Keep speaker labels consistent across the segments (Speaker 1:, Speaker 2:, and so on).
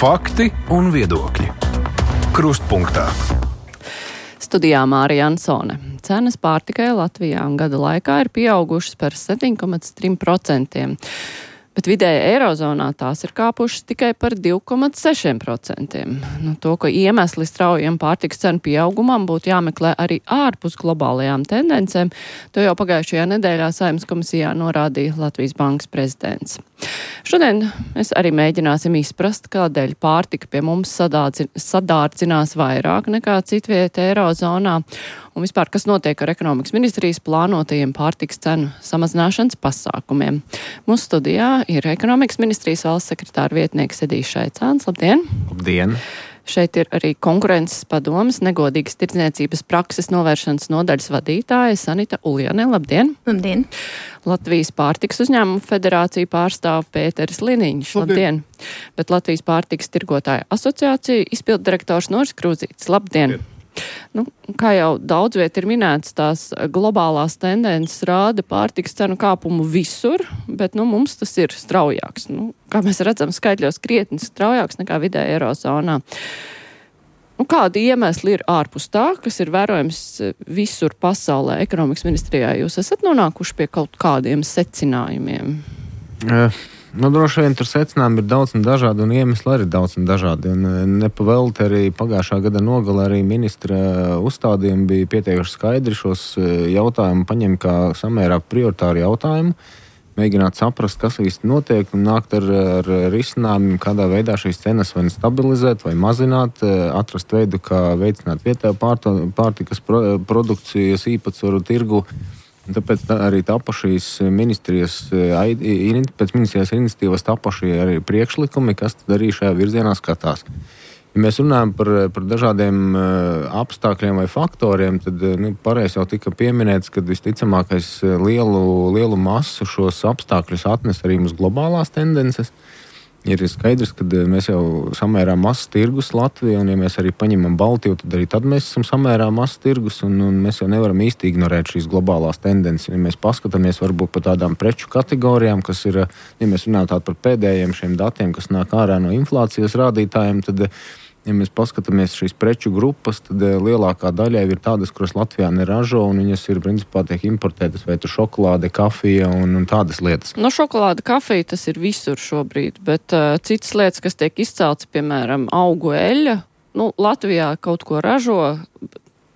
Speaker 1: Fakti un viedokļi. Krustpunktā.
Speaker 2: Studijā Mārija Ansone. Cenas pārtikai Latvijā gada laikā ir pieaugušas par 7,3%, bet vidēji Eirozonā tās ir kāpušas tikai par 2,6%. To, ka iemesli straujiem pārtikas cenu pieaugumam būtu jāmeklē arī ārpus globālajām tendencēm, to jau pagājušajā nedēļā Saeimas komisijā norādīja Latvijas Bankas prezidents. Šodien mēs arī mēģināsim izprast, kādēļ pārtika pie mums sadārdzinās vairāk nekā citvieta Eirozonā, un vispār, kas notiek ar ekonomikas ministrijas plānotajiem pārtikas cenu samazināšanas pasākumiem. Mūsu studijā ir ekonomikas ministrijas valsts sekretāra vietnieks Edijs Šaicāns. Labdien!
Speaker 3: Labdien!
Speaker 2: Šeit ir arī konkurences padomes negodīgas tirdzniecības prakses novēršanas nodaļas vadītāja Sanita Uljane. Labdien!
Speaker 4: Labdien!
Speaker 2: Latvijas pārtikas uzņēmumu federāciju pārstāv Pēteris Liniņš. Labdien! Bet Latvijas pārtikas tirgotāja asociācija izpilddirektors Noris Krūzītis. Labdien! Kā jau daudz viet ir minēts, tās globālās tendences rāda pārtikas cenu kāpumu visur, bet mums tas ir straujāks. Kā mēs redzam, skaitļos krietni straujāks nekā vidēji Eirozonā. Kādi iemesli ir ārpus tā, kas ir vērojams visur pasaulē? Ekonomikas ministrijā jūs esat nonākuši pie kaut kādiem secinājumiem?
Speaker 3: Droši vien tur secinājumi ir daudz un dažādi, un iemesli arī daudz un dažādi. Un nepavēlti arī pagājušā gada nogalē arī ministra uzstādījumi bija pietiekuši skaidri šos jautājumu paņemt kā samērā prioritāru jautājumu, mēģināt saprast, kas īsti notiek, un nākt ar risinājumiem, kādā veidā šīs cenas vai stabilizēt vai mazināt, atrast veidu, kā veicināt vietējo pārtikas produkcijas īpatsvaru tirgu. Tāpēc arī tapa šīs ministrijas iniciatīvas tapa šie arī priekšlikumi, kas tad arī šajā virzienā skatās. Ja mēs runājam par dažādiem apstākļiem vai faktoriem, tad pareizi jau tika pieminēts, ka visticamākais lielu masu šos apstākļus atnes arī mums globālās tendences. Ir skaidrs, ka mēs jau samērā mazs tirgus Latvijā, un ja mēs arī paņemam Baltiju, tad mēs esam samērā mazs tirgus, un mēs jau nevaram īsti ignorēt šīs globālās tendences. Ja mēs paskatāmies varbūt par tādām preču kategorijām, kas ir, ja mēs runājam par pēdējiem šiem datiem, kas nāk ārā no inflācijas rādītājiem, tad, ja mēs paskatāmies šīs preču grupas, tad lielākā daļa ir tādas, kuras Latvijā neražo, un viņas ir principā tiek importētas, vai tur šokolāde, kafija un tādas lietas.
Speaker 2: Šokolāde, kafija, tas ir visur šobrīd, bet citas lietas, kas tiek izceltas, piemēram, augu eļļa, Latvijā kaut ko ražo,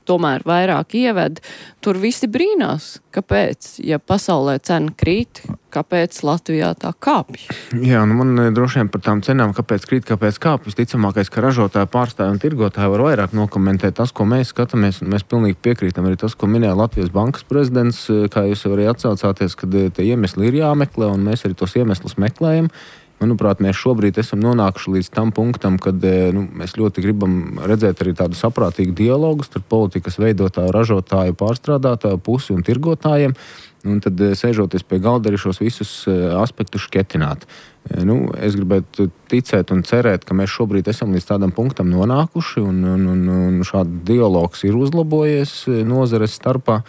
Speaker 2: tomēr vairāk ieved, tur visi brīnās, kāpēc, ja pasaulē cena krīt, kāpēc Latvijā tā kāpj?
Speaker 3: Jā, man droši vien par tām cenām, kāpēc krīt, kāpēc kāpj, visticamākais, ka ražotāji, pārstāvji un tirgotāji var vairāk nokomentēt tas, ko mēs skatāmies, un mēs pilnīgi piekrītam arī tas, ko minēja Latvijas Bankas prezidents, kā jūs arī atsaucāties, kad tie iemesli ir jāmeklē, un mēs arī tos iemeslus meklējam. Manuprāt, mēs šobrīd esam nonākuši līdz tam punktam, kad mēs ļoti gribam redzēt arī tādu saprātīgu dialogu starp politikas veidotāju, ražotāju, pārstrādātāju pusi un tirgotājiem, un tad sēžoties pie galda arī šos visus aspektus šķetināt. Es gribētu ticēt un cerēt, ka mēs šobrīd esam līdz tādam punktam nonākuši, un šāds dialogs ir uzlabojies nozares starpā.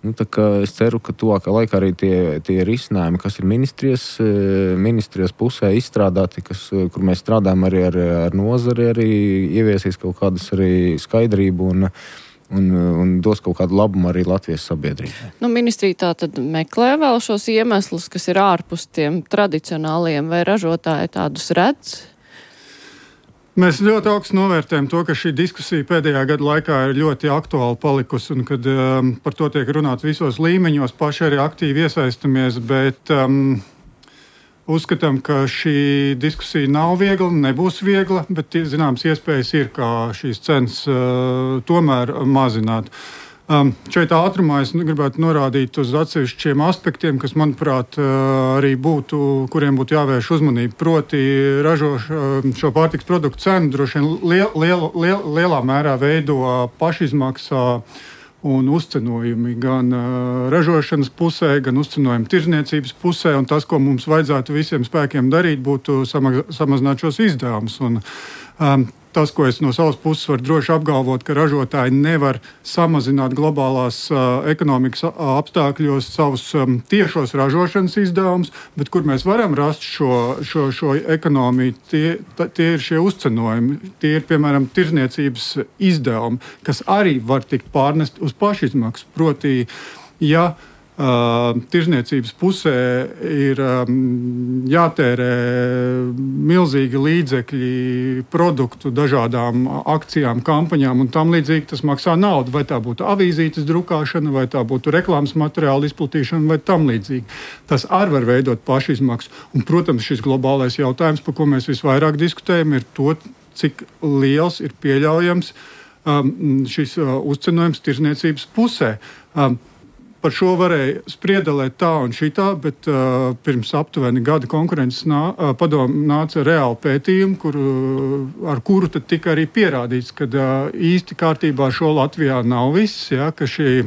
Speaker 3: Es ceru, ka tuvākā laikā arī tie risinājumi, kas ir ministrijas pusē izstrādāti, kur mēs strādājam arī ar nozari, arī ieviesīs kaut kādas arī skaidrību un dos kaut kādu labumu arī Latvijas sabiedrībai.
Speaker 2: Ministrija tā tad meklē vēl šos iemeslus, kas ir ārpus tiem tradicionāliem, vai ražotāji tādus redz?
Speaker 5: Mēs ļoti augstu novērtējam to, ka šī diskusija pēdējā gada laikā ir ļoti aktuāla palikusi, un kad par to tiek runāts visos līmeņos, paši arī aktīvi iesaistamies, bet uzskatām, ka šī diskusija nav viegla, nebūs viegla, bet zināms iespējas ir, kā šīs cenas tomēr mazināt. Šeit ātrumā es gribētu norādīt uz atsevišķiem aspektiem, kas, manuprāt, arī kuriem būtu jāvērš uzmanība. Proti, šo pārtikas produktu cenu droši vien lielā mērā veido pašizmaksā un uzcenojumi gan ražošanas pusē, gan uzcenojumi tirdzniecības pusē, un tas, ko mums vajadzētu visiem spēkiem darīt, būtu samazināt šos izdevumus. tas, ko es no savas puses varu droši apgalvot, ka ražotāji nevar samazināt globālās ekonomikas apstākļos savus tiešos ražošanas izdevumus, bet kur mēs varam rast šo ekonomiju, tie ir šie uzcenojumi. Tie ir, piemēram, tirzniecības izdevumi, kas arī var tikt pārnest uz pašizmaksu. Proti, ja tirzniecības pusē ir jātērē milzīgi līdzekļi produktu dažādām akcijām, kampaņām un tam līdzīgi, tas maksā naudu. Vai tā būtu avīzītes drukāšana, vai tā būtu reklāmas materiāla izplatīšana, vai tam līdzīgi. Tas arī var veidot pašizmaksu. Un, protams, šis globālais jautājums, par ko mēs visvairāk diskutējam, ir to, cik liels ir pieļaujams šis uzcenojums tirzniecības pusē. Par šo varēja spriedelēt tā un šitā, bet pirms aptuveni gada konkurences padomu nāca reāli pētījumi, ar kuru tad tika arī pierādīts, ka īsti kārtībā šo Latvijā nav viss, ja, ka šī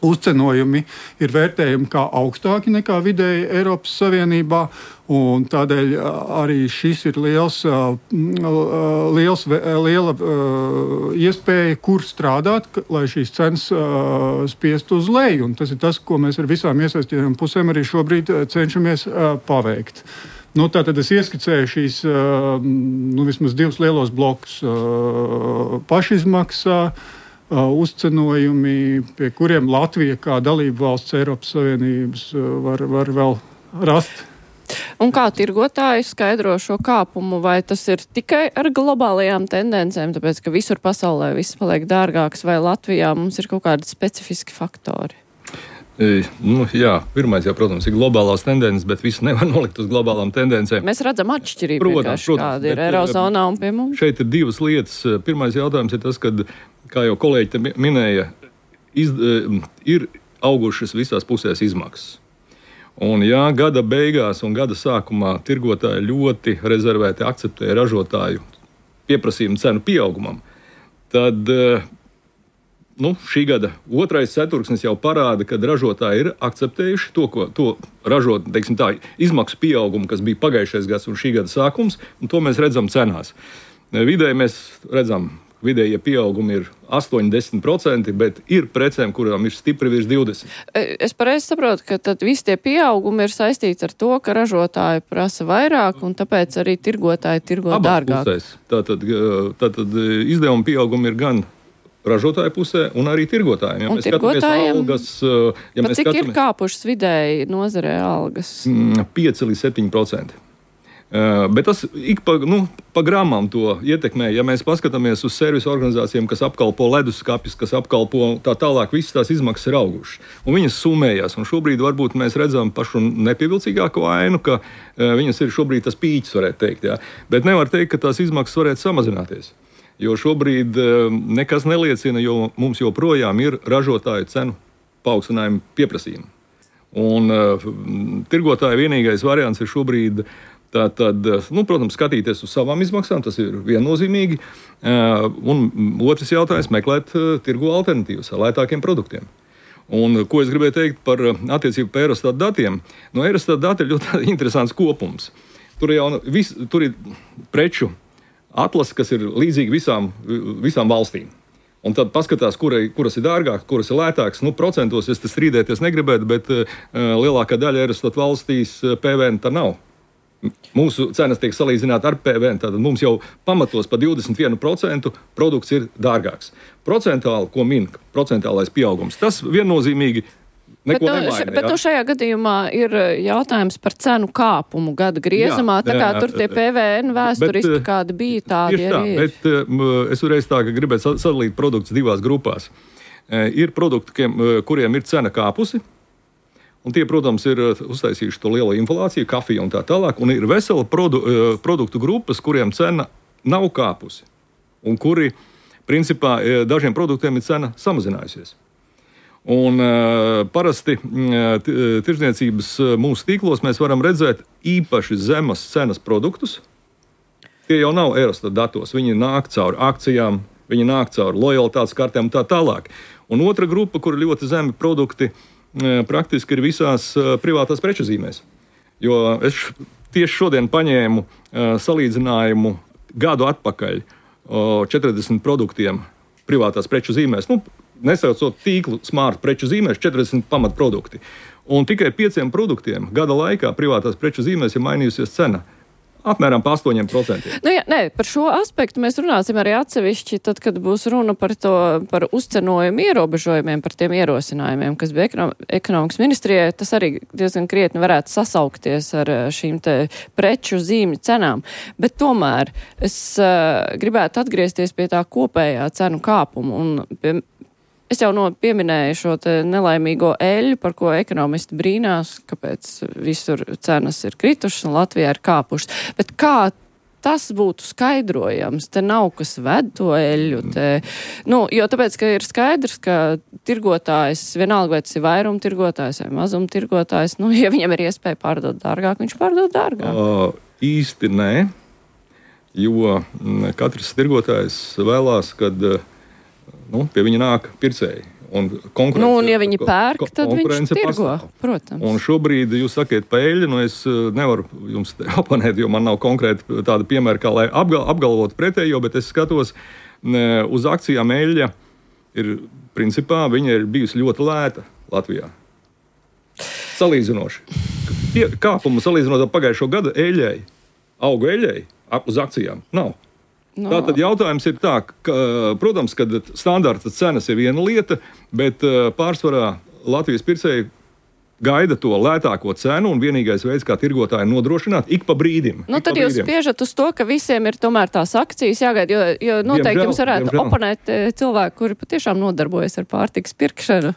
Speaker 5: uzcenojumi ir vērtējumi kā augstāki nekā vidēji Eiropas Savienībā, un tādēļ arī šis ir liela iespēja, kur strādāt, lai šīs cenas spiestu uz leju, un tas ir tas, ko mēs ar visām iesaistītām pusēm arī šobrīd cenšamies paveikt. Tātad es ieskicēju šīs vismaz divus lielos blokus pašizmaksā, uzcenojumi, pie kuriem Latvija kā dalība valsts Eiropas Savienības var vēl rast.
Speaker 2: Un kā tirgotāji skaidro šo kāpumu, vai tas ir tikai ar globālajām tendencēm, tāpēc, ka visur pasaulē viss paliek dārgāks, vai Latvijā mums ir kaut kādi specifiski faktori?
Speaker 4: Jā, pirmais jau, protams, ir globālās tendences, bet visu nevar nolikt uz globālām tendencēm.
Speaker 2: Mēs redzam atšķirību, kāda ir Eirozonā un pie mums.
Speaker 4: Šeit ir divas lietas. Pirmais jautājums ir tas, kad, kā jau kolēģi te minēja, ir augušas visās pusēs izmaksas. Un ja gada beigās un gada sākumā tirgotāji ļoti rezervēti akceptē ražotāju pieprasījumu cenu pieaugumam, tad šī gada otrais ceturksnis jau parāda, ka ražotāji ir akceptējuši to ražot, teiksim tā, izmaksu pieaugumu, kas bija pagājušais gads un šī gada sākums, un to mēs redzam cenās. Vidēji mēs redzam, vidējie pieaugumi ir 8–10%, bet ir precēm, kurām ir stipri virs 20%.
Speaker 2: Es pareizi saprotu, ka tad visi tie pieaugumi ir saistīti ar to, ka ražotāji prasa vairāk, un tāpēc arī tirgotāji tirgo dārgāk.
Speaker 4: Tātad izdevuma pieaugumi ir gan ražotāju pusē un arī tirgotājiem. Ja
Speaker 2: un tirgotājiem, cik ir kāpušas vidēji nozarē algas?
Speaker 4: 5–7%. Bet tas ik pa gramām to ietekmē. Ja mēs paskatāmies uz servisu organizācijām, kas apkalpo leduskapis, kas apkalpo tā tālāk, visas tās izmaksas ir augušas. Un viņas summējās. Un šobrīd varbūt mēs redzam pašu nepievilcīgāko ainu, ka viņas ir šobrīd tas pīķis, varētu teikt. Ja? Bet nevar teikt, ka tās izmaksas varētu samazināties. Jo šobrīd nekas neliecina, jo mums joprojām ir ražotāju cenu paaugstinājuma pieprasījumi. Un tirgotāja vienīgais variants ir šobrīd protams, skatīties uz savām izmaksām, tas ir viennozīmīgi. Un otrs jautājums - meklēt tirgu alternatīvas ar lētākiem produktiem. Un ko es gribēju teikt par attiecību par Eurostat datiem? No Eurostat dati ir ļoti interesants kopums. Tur ir preču atlase, kas ir līdzīga visām valstīm. Un tad paskatās, kuras ir dārgākas, kuras ir lētākas. Procentos es te strīdēties negribētu, bet lielākā daļa Eurostat valstīs PVN tā nav. Mūsu cenas tiek salīdzinātas ar PVN, tātad mums jau pamatos pa 21% produkts ir dārgāks. Procentuāli, ko min procentuālais pieaugums, tas viennozīmīgi neko nemaina.
Speaker 2: Bet šajā gadījumā ir jautājums par cenu kāpumu gada griezumā, tā kā tur tie PVN vēsturiski kādi bija, tādi arī ir.
Speaker 4: Bet es uzreiz tā, ka gribētu sadalīt produktus divās grupās. Ir produkti, kuriem ir cena kāpusi, un tie, protams, ir uztaisījuši to lielo inflāciju, kafiju un tā tālāk, un ir vesela produktu grupas, kuriem cena nav kāpusi, un kuri, principā, dažiem produktiem ir cena samazinājusies. Un parasti tirdzniecības mūsu tīklos mēs varam redzēt īpaši zemas cenas produktus. Tie jau nav Eurostat datos, viņi nāk caur akcijām, viņi nāk caur lojalitātes kartēm un tā tālāk. Un otra grupa, kur ļoti zemi produkti, praktiski ir visās privātās preču zīmēs. Jo es tieši šodien paņēmu salīdzinājumu gadu atpakaļ 40 produktiem privātās preču zīmēs, nesaucot tīklu smart preču zīmēs, 40 pamatprodukti. Un tikai 5 produktiem gada laikā privātās preču zīmēs ir mainījusies cena. Apmēram pa 8%.
Speaker 2: Par šo aspektu mēs runāsim arī atsevišķi, tad, kad būs runa par uzcenojumu ierobežojumiem, par tiem ierosinājumiem, kas bija ekonomikas ministrijai. Tas arī diezgan krietni varētu sasaukties ar šīm te preču zīmju cenām. Bet tomēr es gribētu atgriezties pie tā kopējā cenu kāpuma. Un es jau pieminēju šo te nelaimīgo eļļu, par ko ekonomisti brīnās, kāpēc visur cenas ir kritušas un Latvijā ir kāpušas. Bet kā tas būtu skaidrojams? Te nav kas ved to eļļu. Jo tāpēc, ka ir skaidrs, ka tirgotājs, vienalga vai tas ir vairumtirgotājs vai mazumtirgotājs, ja viņam ir iespēja pārdot dārgāk, viņš pārdot dārgāk.
Speaker 4: Īsti nē, jo katrs tirgotājs vēlās, kad pie viņa nāk pircēji. Un
Speaker 2: ja viņi pērk, tad viņš tirgo, protams.
Speaker 4: Un šobrīd jūs sakiet pa eļļu, es nevaru jums oponēt, jo man nav konkrēti tāda piemēra, kā lai apgalvotu pretējo, bet es skatos uz akcijām eļļa principā viņa ir bijusi ļoti lēta Latvijā. Salīdzinoši. Kāpumu salīdzinot ar pagājušo gadu eļļai, augu eļļai uz akcijām nav. Tātad jautājums ir tā, ka, protams, ka standarta cenas ir viena lieta, bet pārsvarā Latvijas pircēji gaida to lētāko cenu, un vienīgais veids, kā tirgotāji nodrošināt, ik pa brīdim.
Speaker 2: Tad jūs spiežat uz to, ka visiem ir tomēr tās akcijas jāgaida, jo noteikti jums varētu oponēt cilvēki, kuri patiešām nodarbojas ar pārtikas pirkšanu,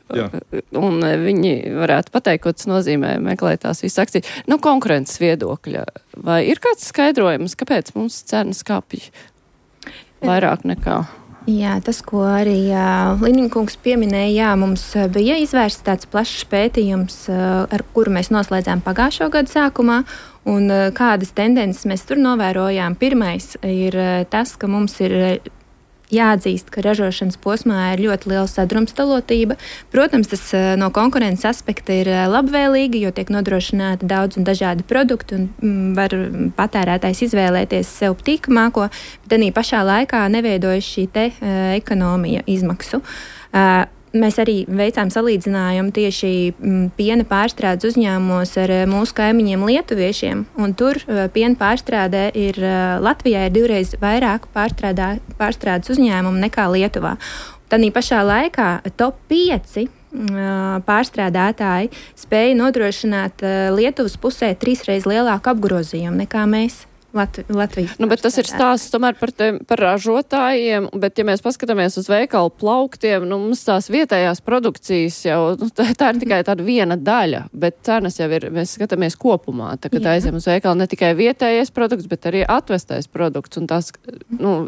Speaker 2: un viņi varētu pateikt, ko tas nozīmē meklēt tās visas akcijas. Konkurences viedokļa. Vai ir kāds skaidrojums, kāpēc mums cenas kāpj vairāk nekā?
Speaker 6: Jā, tas, ko arī Liniņkungs pieminēja, mums bija izvērsts tāds plašs pētījums, ar kuru mēs noslēdzām pagājušo gadu sākumā, un kādas tendences mēs tur novērojām. Pirmais ir tas, ka mums ir jāatzīst, ka ražošanas posmā ir ļoti liela sadrumstalotība. Protams, tas no konkurences aspekta ir labvēlīgi, jo tiek nodrošināti daudz un dažādi produkti un var patērētājs izvēlēties sev tīkamāko, bet arī pašā laikā neveidojas šī te ekonomija izmaksu. Mēs arī veicām salīdzinājumu tieši piena pārstrādes uzņēmumos ar mūsu kaimiņiem lietuviešiem, un tur piena pārstrādē Latvijā ir 2 vairāk pārstrādes uzņēmumu nekā Lietuvā. Tādī pašā laikā top 5 pārstrādātāji spēja nodrošināt Lietuvas pusē 3 reizes lielāku apgrozījumu nekā mēs. Latvijas.
Speaker 2: Bet tas ir stāsts tomēr par ražotājiem, bet ja mēs paskatāmies uz veikalu plauktiem, mums tās vietējās produkcijas jau, tā ir tikai tāda viena daļa, bet cenas jau ir, mēs skatāmies kopumā, kad aizjām uz veikalu ne tikai vietējais produkts, bet arī atvestais produkts, un tās,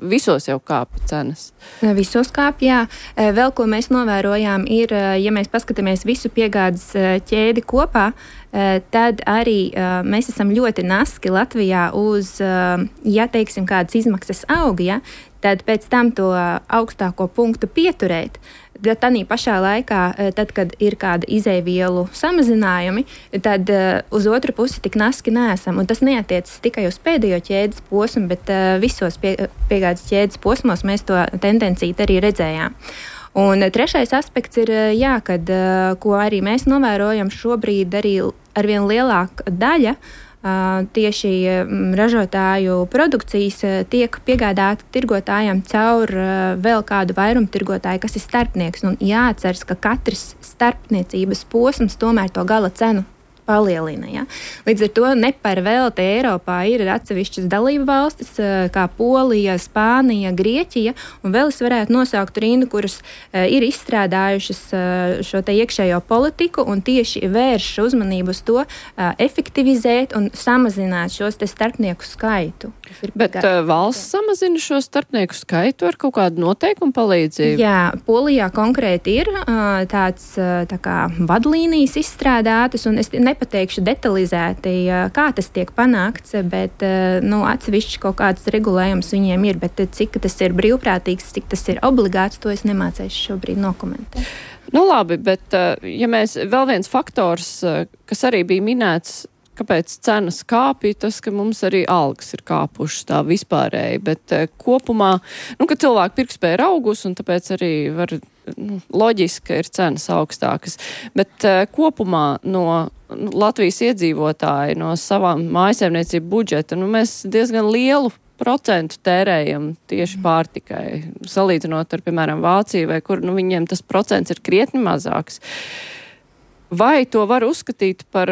Speaker 2: visos jau kāpj cenas.
Speaker 6: Visos kāpj, jā. Vēl, ko mēs novērojām, ir, ja mēs paskatāmies visu piegādes ķēdi kopā, tad arī mēs esam ļoti naski Latvijā uz, ja teiksim, kādas izmaksas aug, tad pēc tam to augstāko punktu pieturēt. Tanī pašā laikā, tad, kad ir kāda izēvielu samazinājumi, tad uz otru pusi tik naski neesam. Un tas neatiecas tikai uz pēdējo ķēdes posmu, bet visos piegādes ķēdes posmos mēs to tendenciju arī redzējām. Un trešais aspekts ir, kad, ko arī mēs novērojam šobrīd, arī arvien lielāka daļa tieši ražotāju produkcijas tiek piegādāta tirgotājiem caur vēl kādu vairumtirgotāju, kas ir starpnieks. Un jāatceras, ka katrs starpniecības posms tomēr to gala cenu palielina. Ja? Līdz ar to ne par velti Eiropā ir atsevišķas dalību valstis, kā Polija, Spānija, Grieķija, un vēl es varētu nosaukt rindu, kuras ir izstrādājušas šo te iekšējo politiku un tieši vērš uzmanību uz to efektivizēt un samazināt šos te starpnieku skaitu.
Speaker 2: Bet valsts samazina šo starpnieku skaitu ar kaut kādu noteikumu palīdzību?
Speaker 6: Jā, Polijā konkrēti ir tāds tā kā vadlīnijas izstrādātas, un es nepateikšu detalizēti, kā tas tiek panākts, bet atsevišķi kaut kāds regulējums viņiem ir, bet cik tas ir brīvprātīgs, cik tas ir obligāts, to es nemācēšu šobrīd nokomentēt.
Speaker 2: Labi, bet ja mēs vēl viens faktors, kas arī bija minēts, kāpēc cenas kāpja, tas, ka mums arī algas ir kāpušas tā vispārēji, bet kopumā, ka cilvēku pirktspēja ir augus, un tāpēc arī var, loģiski, ka ir cenas augstākas. Bet kopumā no Latvijas iedzīvotāji, no savām mājsaimniecību budžeta, mēs diezgan lielu procentu tērējam tieši pārtikai, salīdzinot ar, piemēram, Vāciju, vai kur, viņiem tas procents ir krietni mazāks. Vai to var uzskatīt par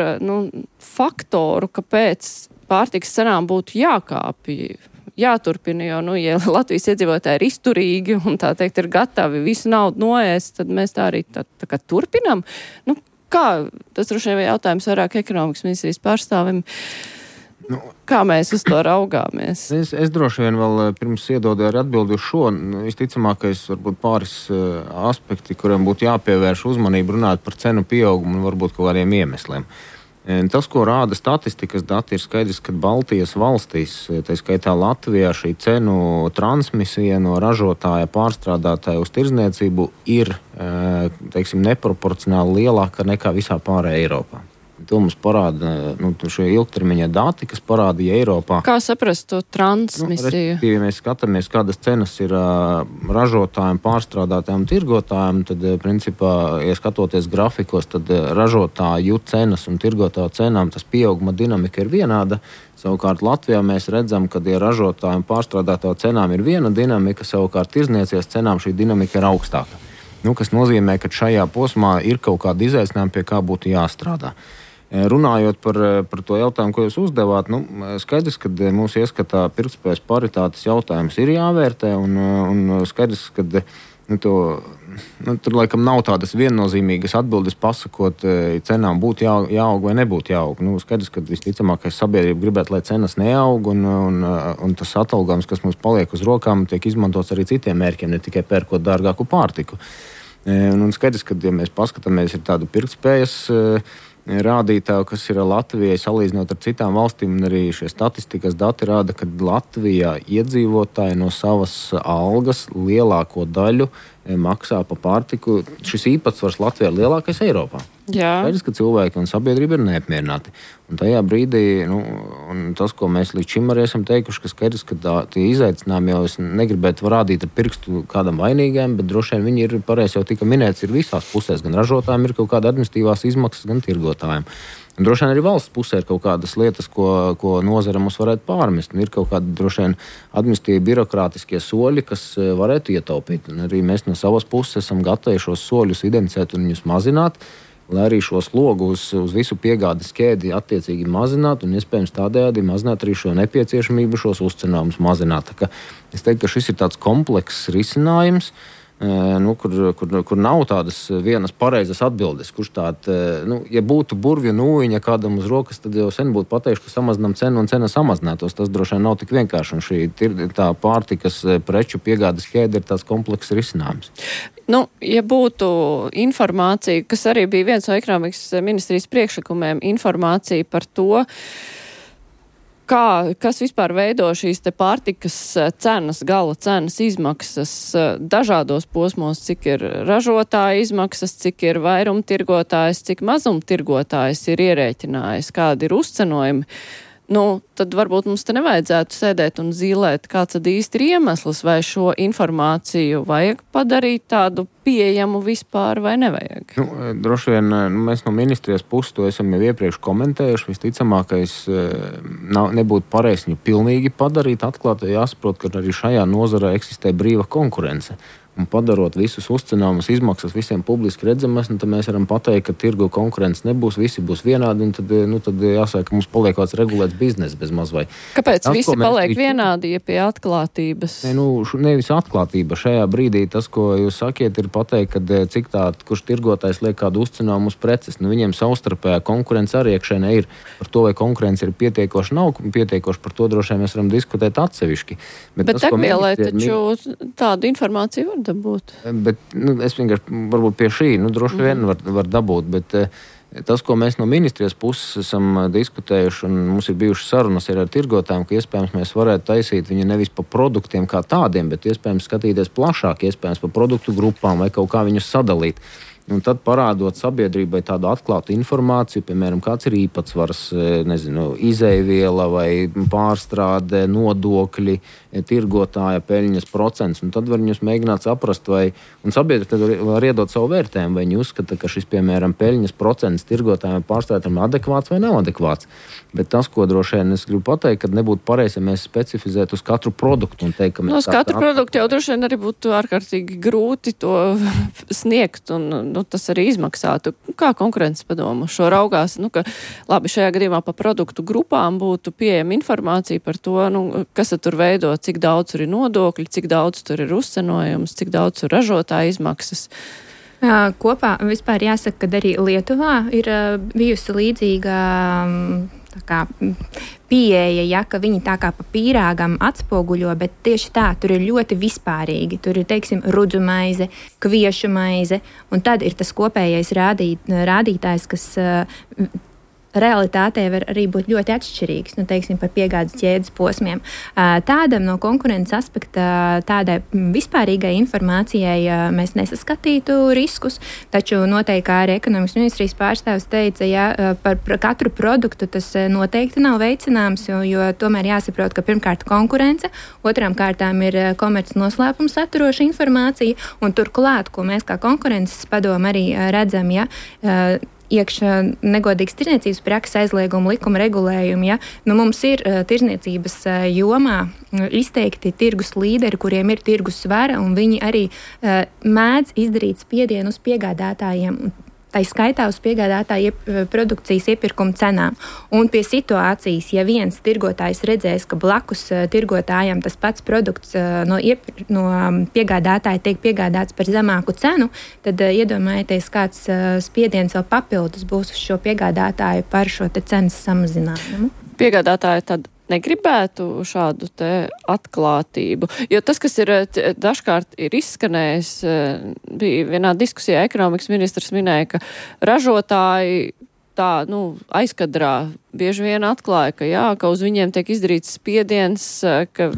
Speaker 2: faktoru, kāpēc pārtikas cenām būtu jāturpina, jo, ja Latvijas iedzīvotāji ir izturīgi un tā teikt ir gatavi visu naudu noēst, tad mēs tā arī tā kā turpinam? Kā? Tas droši vien jautājums vairāk ekonomikas ministrijas pārstāvim. Kā mēs uz to raugāmies?
Speaker 3: Es droši vien vēl pirms iedodu arī atbildi uz šo. Visticamākais varbūt pāris aspekti, kuriem būtu jāpievērš uzmanību runāt par cenu pieaugumu un varbūt kaut kādiem iemesliem. Tas, ko rāda statistikas dati, ir skaidrs, ka Baltijas valstīs, tā skaitā Latvijā, šī cenu transmisija no ražotāja pārstrādātāja uz tirdzniecību ir, neproporcionāli lielāka nekā visā pārējā Eiropā. To mums parāda šie ilgtermiņa dati, kas parādīja Eiropā.
Speaker 2: Kā saprast to transmisiju?
Speaker 3: Ja mēs skatāmies, kādas cenas ir ražotājiem, pārstrādātājiem, tirgotājiem, tad, principā, ja skatoties grafikos, tad ražotāju cenas un tirgotāju cenām tas pieauguma dinamika ir vienāda. Savukārt Latvijā mēs redzam, ka ja ražotājiem, pārstrādātāju cenām ir viena dinamika, savukārt tirdzniecības cenām šī dinamika ir augstāka. Kas nozīmē, ka šajā posmā ir kaut kāda izaicinājuma, pie kā būtu jāstrādā. Runājot par to jautājumu, ko jūs uzdevāt, skaidrs, ka mūsu ieskatā pirktspējas paritātes jautājums ir jāvērtē, un skaidrs, ka tur laikam nav tādas viennozīmīgas atbildes pasakot, cenām būtu jāaug vai nebūtu jāaug. Skaidrs, ka visticamākais sabiedrība gribētu, lai cenas neaug, un tas atalgojums, kas mums paliek uz rokām, tiek izmantots arī citiem mērķiem, ne tikai pērkot dārgāku pārtiku. Un skaidrs, ka, ja mēs paskatāmies, ir tāda pirktspējas rādītāji, kas ir Latvijai salīdzinot ar citām valstīm, un arī šie statistikas dati rāda, ka Latvijā iedzīvotāji no savas algas lielāko daļu maksā pa pārtiku. Šis īpatsvars Latvijā ir lielākais Eiropā. Skaidrs, ka cilvēki un sabiedrība ir neapmierināti. Un tajā brīdī, un tas, ko mēs līdz šim arī esam teikuši, ka skaidrs, ka tie izaicinājumi jau es negribētu rādīt ar pirkstu kādam vainīgiem, bet droši vien viņi ir pareizi jau tika minēts, ir visās pusēs. Gan ražotājiem ir kaut kāda administratīvās izmaksas, gan tirgotājiem. Un droši vien arī valsts pusē ir kaut kādas lietas, ko nozare mums varētu pārmest. Un ir kaut kādi droši vien administratīvi birokrātiskie soļi, kas varētu ietaupīt. Un arī mēs no savas puses esam gatavi šos soļus identificēt un viņus mazināt, lai arī šo slogu uz visu piegādes ķēdi attiecīgi mazināt un iespējams tādējādi mazināt arī šo nepieciešamību šos uzcenājumus mazināt. Tā kā es teiktu, ka šis ir tāds komplekss risinājums, kur nav tādas vienas pareizas atbildes, kurš ja būtu burvju nūjiņa kādam uz rokas, tad jau sen būtu pateikšu, ka samazinām cenu un cena samazinātos. Tas droši vien nav tik vienkārši, un šī tā pārtikas preču piegādes ķēde ir tāds komplekss risinājums.
Speaker 2: Ja būtu informācija, kas arī bija viens no ekonomikas ministrijas priekšlikumiem, informācija par to, kas vispār veido šīs te pārtikas cenas, gala cenas izmaksas dažādos posmos, cik ir ražotāja izmaksas, cik ir vairumtirgotājs, cik mazumtirgotājs ir ierēķinājis, kādi ir uzcenojumi. Tad varbūt mums te nevajadzētu sēdēt un zīlēt, kāds tad īsti ir iemesls, vai šo informāciju vajag padarīt tādu pieejamu vispār vai nevajag?
Speaker 3: Droši vien mēs no ministrijas puses to esam jau iepriekš komentējuši. Visticamākais nebūtu pareizi viņu pilnīgi padarīt atklāt, jāsaprot, ka arī šajā nozarē eksistē brīva konkurence. Un padarot visus uzcenājumus izmaksas visiem publiski redzamas, tad mēs varam pateikt, ka tirgu konkurence nebūs, visi būs vienādi, un tad jāsaka, ka mums paliek kāds regulēts bizness bez maz vai.
Speaker 2: Kāpēc visi paliek vienādi, ja pie atklātības?
Speaker 3: Nevis atklātība. Šajā brīdī tas, ko jūs sakiet, ir pateikt, ka cik kurš tirgotājs liek kādu uzcenājumu uz preces. Viņiem savstarpējā konkurence arī iekšēnē ir. Par to, vai konkurence ir pietiekoši, nav pietiekoši, par to droši vien mēs varam diskutēt atsevišķi.
Speaker 2: Bet degvielai taču tādu informāciju var dabūt.
Speaker 3: Bet es vienkārši varbūt pie šī droši vien var dabūt, bet tas, ko mēs no ministrijas puses esam diskutējuši, un mums ir bijušas sarunas ar tirgotājiem, ka iespējams mēs varētu taisīt viņu nevis pa produktiem kā tādiem, bet iespējams skatīties plašāk, iespējams pa produktu grupām vai kaut kā viņus sadalīt. un tad parādot sabiedrībai tādu atklātu informāciju, piemēram, kāds ir īpatsvars, izēviela vai pārstrāde, nodokļi, tirgotāja peļņas procents, un tad var viņus mēģināt saprast, un sabiedrība var iedot savu vērtējumu, vai viņi uzskata, ka šis, piemēram, peļņas procents tirgotājiem pārstrādētājiem adekvāts vai nav adekvāts. Bet tas, ko droši vien es gribu pateikt, ka nebūtu pareizi, ja mēs specifizētu uz katru produktu un teikt, ka mēs...
Speaker 2: Uz katru produktu jau droši vien arī būtu ārkārtīgi grūti to sniegt, un tas arī izmaksātu. Kā konkurences padomu šo raugās? Ka labi, šajā gadījumā pa produktu grupām būtu pieejama informācija par to, kas tur veido, cik daudz tur ir nodokļi, cik daudz tur ir uzcenojums, cik daudz tur ražotāja izmaksas.
Speaker 6: Kopā vispār jāsaka, ka arī Lietuvā ir bijusi līdzīga pieeja, ka viņi tā kā pa pīrāgam atspoguļo, bet tieši tā, tur ir ļoti vispārīgi. Tur ir, teiksim, rudzu maize, kviešu maize, un tad ir tas kopējais rādītājs, kas realitātē var arī būt ļoti atšķirīgs, teiksim, par piegādes ķēdes posmiem. Tādam no konkurences aspekta, tādai vispārīgai informācijai mēs nesaskatītu riskus, taču noteikti, kā arī ekonomikas ministrijas pārstāvs teica, par katru produktu tas noteikti nav veicināms, jo tomēr jāsaprot, ka pirmkārt konkurence, otrām kārtām ir komerces noslēpums saturoša informācija, un turklāt, ko mēs kā konkurences padomu arī redzam, iekšā negodīgas tirdzniecības prakses aizlieguma likuma regulējumi. Mums ir tirdzniecības jomā izteikti tirgus līderi, kuriem ir tirgus svara, un viņi arī mēdz izdarīt spiedienu uz piegādātājiem. Tā skaitā uz piegādātāju produkcijas iepirkuma cenām. Un pie situācijas, ja viens tirgotājs redzēs, ka blakus tirgotājam tas pats produkts no piegādātāja tiek piegādāts par zemāku cenu, tad iedomājieties, kāds spiediens vēl papildus būs uz šo piegādātāju par šo te cenas samazinājumu.
Speaker 2: Piegādātāji tad negribētu šādu te atklātību, jo tas, kas ir dažkārt ir izskanējis, bija vienā diskusijā ekonomikas ministrs minēja, ka ražotāji tā, aizkadrā bieži vien atklāja, ka uz viņiem tiek izdarīts spiediens, ka,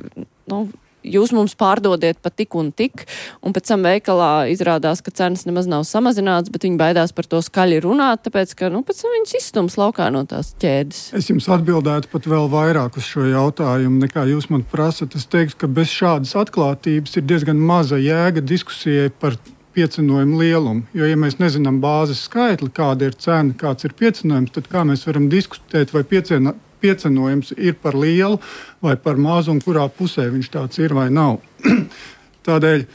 Speaker 2: jūs mums pārdodiet pa tik un tik, un pēc tam veikalā izrādās, ka cenas nemaz nav samazināts, bet viņi baidās par to skaļi runāt, tāpēc, ka, pēc tam viņas izstums laukā no tās ķēdes.
Speaker 5: Es jums atbildētu pat vēl vairāk uz šo jautājumu, nekā jūs man prasat. Es teiktu, ka bez šādas atklātības ir diezgan maza jēga diskusijai par piecenojumu lielumu, jo, ja mēs nezinām bāzes skaitli, kāda ir cena, kāds ir piecenojums, tad kā mēs varam diskutēt, vai piecenojums ir par lielu vai par mazu un kurā pusē viņš tāds ir vai nav. Tādēļ,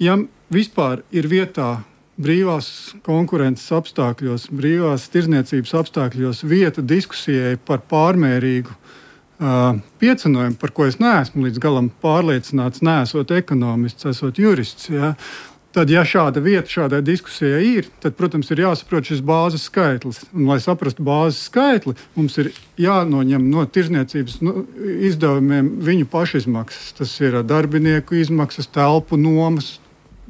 Speaker 5: ja vispār ir vietā brīvās konkurences apstākļos, brīvās tirdzniecības apstākļos vieta diskusijai par pārmērīgu piecenojumu, par ko es neesmu līdz galam pārliecināts, neesot ekonomists, esot jurists, tad, ja šāda vieta šādai diskusijai ir, tad, protams, ir jāsaprot šis bāzes skaitlis. Un, lai saprastu bāzes skaitli, mums ir jānoņem no tirdzniecības izdevumiem viņu pašizmaksas. Tas ir darbinieku izmaksas, telpu nomas.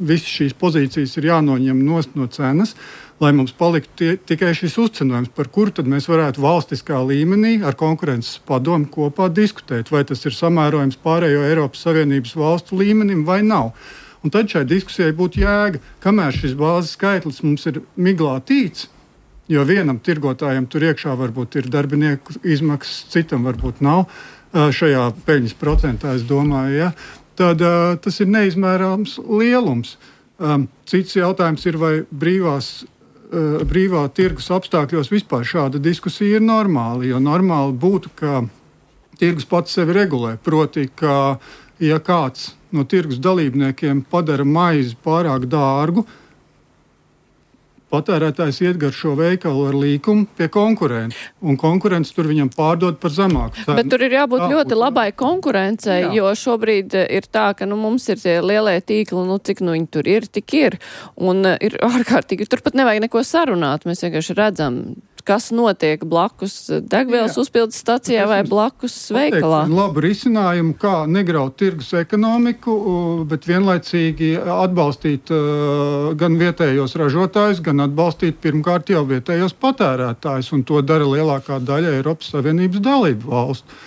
Speaker 5: Visas šīs pozīcijas ir jānoņem no cenas, lai mums paliktu tikai šis uzcenojums, par kuru tad mēs varētu valstiskā līmenī ar konkurences padomu kopā diskutēt, vai tas ir samērojams pārējo Eiropas Savienības valstu līmenim vai nav. Un tad šai diskusijai būtu jēga, kamēr šis bāzes skaitlis mums ir miglā tīts, jo vienam tirgotājam tur iekšā varbūt ir darbinieku izmaksas, citam varbūt nav šajā peļņas procentā, es domāju, tad tas ir neizmērāms lielums. Cits jautājums ir, vai brīvā tirgus apstākļos vispār šāda diskusija ir normāla, jo normāli būtu, ka tirgus pats sevi regulē, proti, ka ja kāds no tirgus dalībniekiem padara maizi pārāk dārgu, patērētājs iet gar šo veikalu ar līkumu pie konkurenta, un konkurents tur viņam pārdod par zemāku cenu.
Speaker 2: Bet tur ir jābūt ļoti labai konkurencei, jo šobrīd ir tā, ka mums ir tie lielie tīkli, cik viņi tur ir, tik ir, un ir ārkārtīgi, turpat nevajag neko sarunāt, mēs vienkārši redzam, kas notiek blakus degvielas uzpildes stacijā vai blakus veikalā.
Speaker 5: Labu risinājumu, kā negraut tirgus ekonomiku, bet vienlaicīgi atbalstīt gan vietējos ražotājus, gan atbalstīt pirmkārt jau vietējos patērētājus, un to dara lielākā daļa Eiropas Savienības dalību valstu.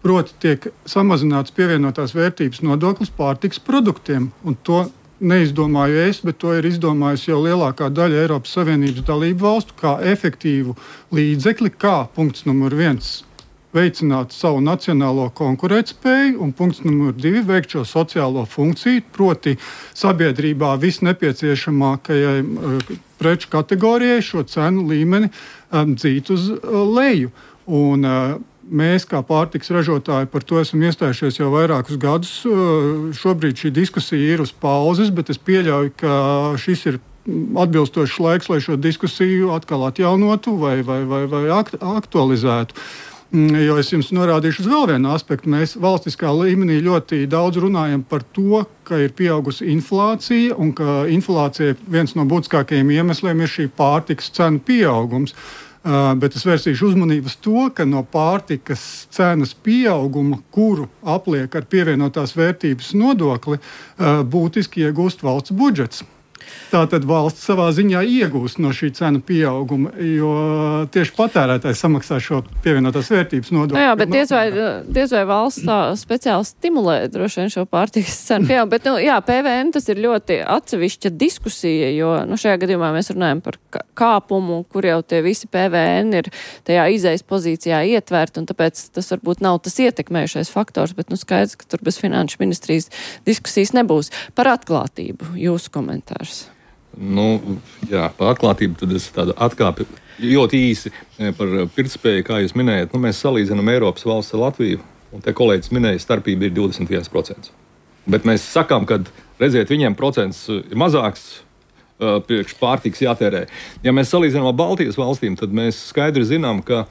Speaker 5: Proti tiek samazināts pievienotās vērtības nodoklis pārtikas produktiem, un to neizdomāju es, bet to ir izdomājusi jau lielākā daļa Eiropas Savienības dalību valstu kā efektīvu līdzekli, kā punkts numur 1 veicināt savu nacionālo konkurētspēju un punkts numur 2 veikt šo sociālo funkciju, proti sabiedrībā visnepieciešamākajai preču kategorijai šo cenu līmeni dzīt uz leju. Un mēs, kā pārtikas ražotāji, par to esam iestājušies jau vairākus gadus. Šobrīd šī diskusija ir uz pauzes, bet es pieļauju, ka šis ir atbilstošs laiks, lai šo diskusiju atkal atjaunotu vai aktualizētu. Jo es jums norādīšu uz vēl vienu aspektu. Mēs valstiskā līmenī ļoti daudz runājam par to, ka ir pieaugusi inflācija un ka inflācija viens no būtiskākajiem iemesliem ir šī pārtikas cenu pieaugums. Bet es vērsīšu uzmanību uz to, ka no pārtikas cenas pieauguma, kuru apliek ar pievienotās vērtības nodokli, būtiski iegūst valsts budžets. Tātad valsts savā ziņā iegūst no šī cenu pieauguma, jo tieši patērētājs samaksā šo pievienotās vērtības nodokli.
Speaker 2: Jā, bet diez vai valsts tā speciāli stimulē droši vien šo pārtikas cenu pieaugumu. Bet, PVN tas ir ļoti atsevišķa diskusija, jo šajā gadījumā mēs runājam par kāpumu, kur jau tie visi PVN ir tajā izejas pozīcijā ietverti, un tāpēc tas varbūt nav tas ietekmējušais faktors, bet skaidrs, ka tur bez finanšu ministrijas diskusijas nebūs. Par atklātību jūsu komentārs.
Speaker 4: Par atklātību tad es tādu atkāpi ļoti īsi par pirktspēju, kā jūs minējat. Mēs salīdzinām Eiropas valsts ar Latviju, un te kolēģis minēja, starpība ir 21%. Bet mēs sakām, ka, redziet, viņiem procents ir mazāks, priekš pārtikas jātērē. Ja mēs salīdzinām ar Baltijas valstīm, tad mēs skaidri zinām, ka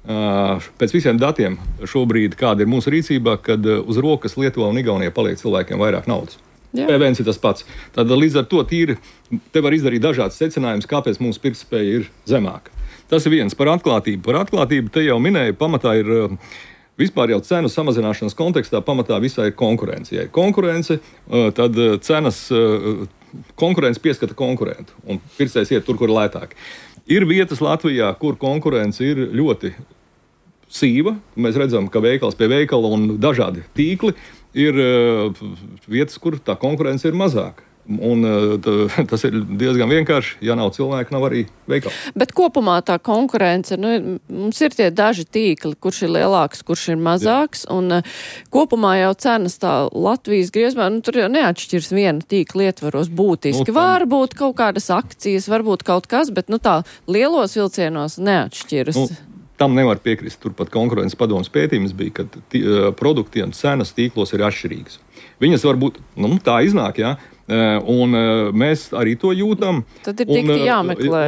Speaker 4: pēc visiem datiem šobrīd, kāda ir mūsu rīcībā, kad uz rokas Lietuvā un Igaunijā paliek cilvēkiem vairāk naudas. PVN ir tas pats. Tad līdz ar to te var izdarīt dažādas secinājumus, kāpēc mūsu pirktspēja ir zemāka. Tas ir viens par atklātību. Par atklātību te jau minēju, pamatā ir vispār jau cenu samazināšanas kontekstā, pamatā visā ir konkurence. Ja ir konkurence, tad konkurence pieskata konkurentu, un pircējs iet tur, kur lētāk. Ir vietas Latvijā, kur konkurence ir ļoti sīva. Mēs redzam, ka veikals pie veikala un dažādi tīkli ir vietas, kur tā konkurence ir mazāka. Un tas ir diezgan vienkārši. Ja nav cilvēku, nav arī veikala. Bet
Speaker 2: kopumā tā konkurence, mums ir tie daži tīkli, kurš ir lielāks, kurš ir mazāks. Jā. Un kopumā jau cenas tā Latvijas griezumā, tur jau neatšķirs viena tīkla ietvaros būtiski. Varbūt kaut kādas akcijas, varbūt kaut kas, bet tā lielos vilcienos neatšķiras.
Speaker 4: Tam nevar piekrist. Turpat konkurences padomes pētījums bija, ka produktiem cenas tīklos ir atšķirīgas. Viņas varbūt, tā iznāk, jā, un mēs arī to jūtam.
Speaker 2: Tad ir tikti jāmeklē.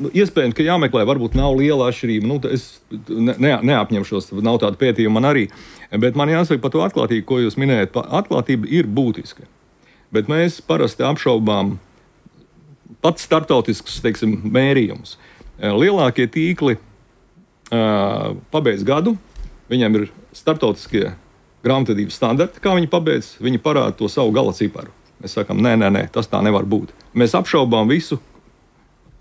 Speaker 4: Iespējams, ka jāmeklē, varbūt nav liela atšķirība. Es neapņemšos, nav tāda pētījuma man arī. Bet man jāsaka par to atklātību, ko jūs minējat. Atklātība ir būtiska. Bet mēs parasti apšaubām pats startautisks, mērījums. Lielākie tīkli pabeidz gadu, viņiem ir starptautiskie grāmatvedības standarti, kā viņi pabeidz, viņi parāda to savu gala ciparu. Mēs sakām, nē, tas tā nevar būt. Mēs apšaubām visu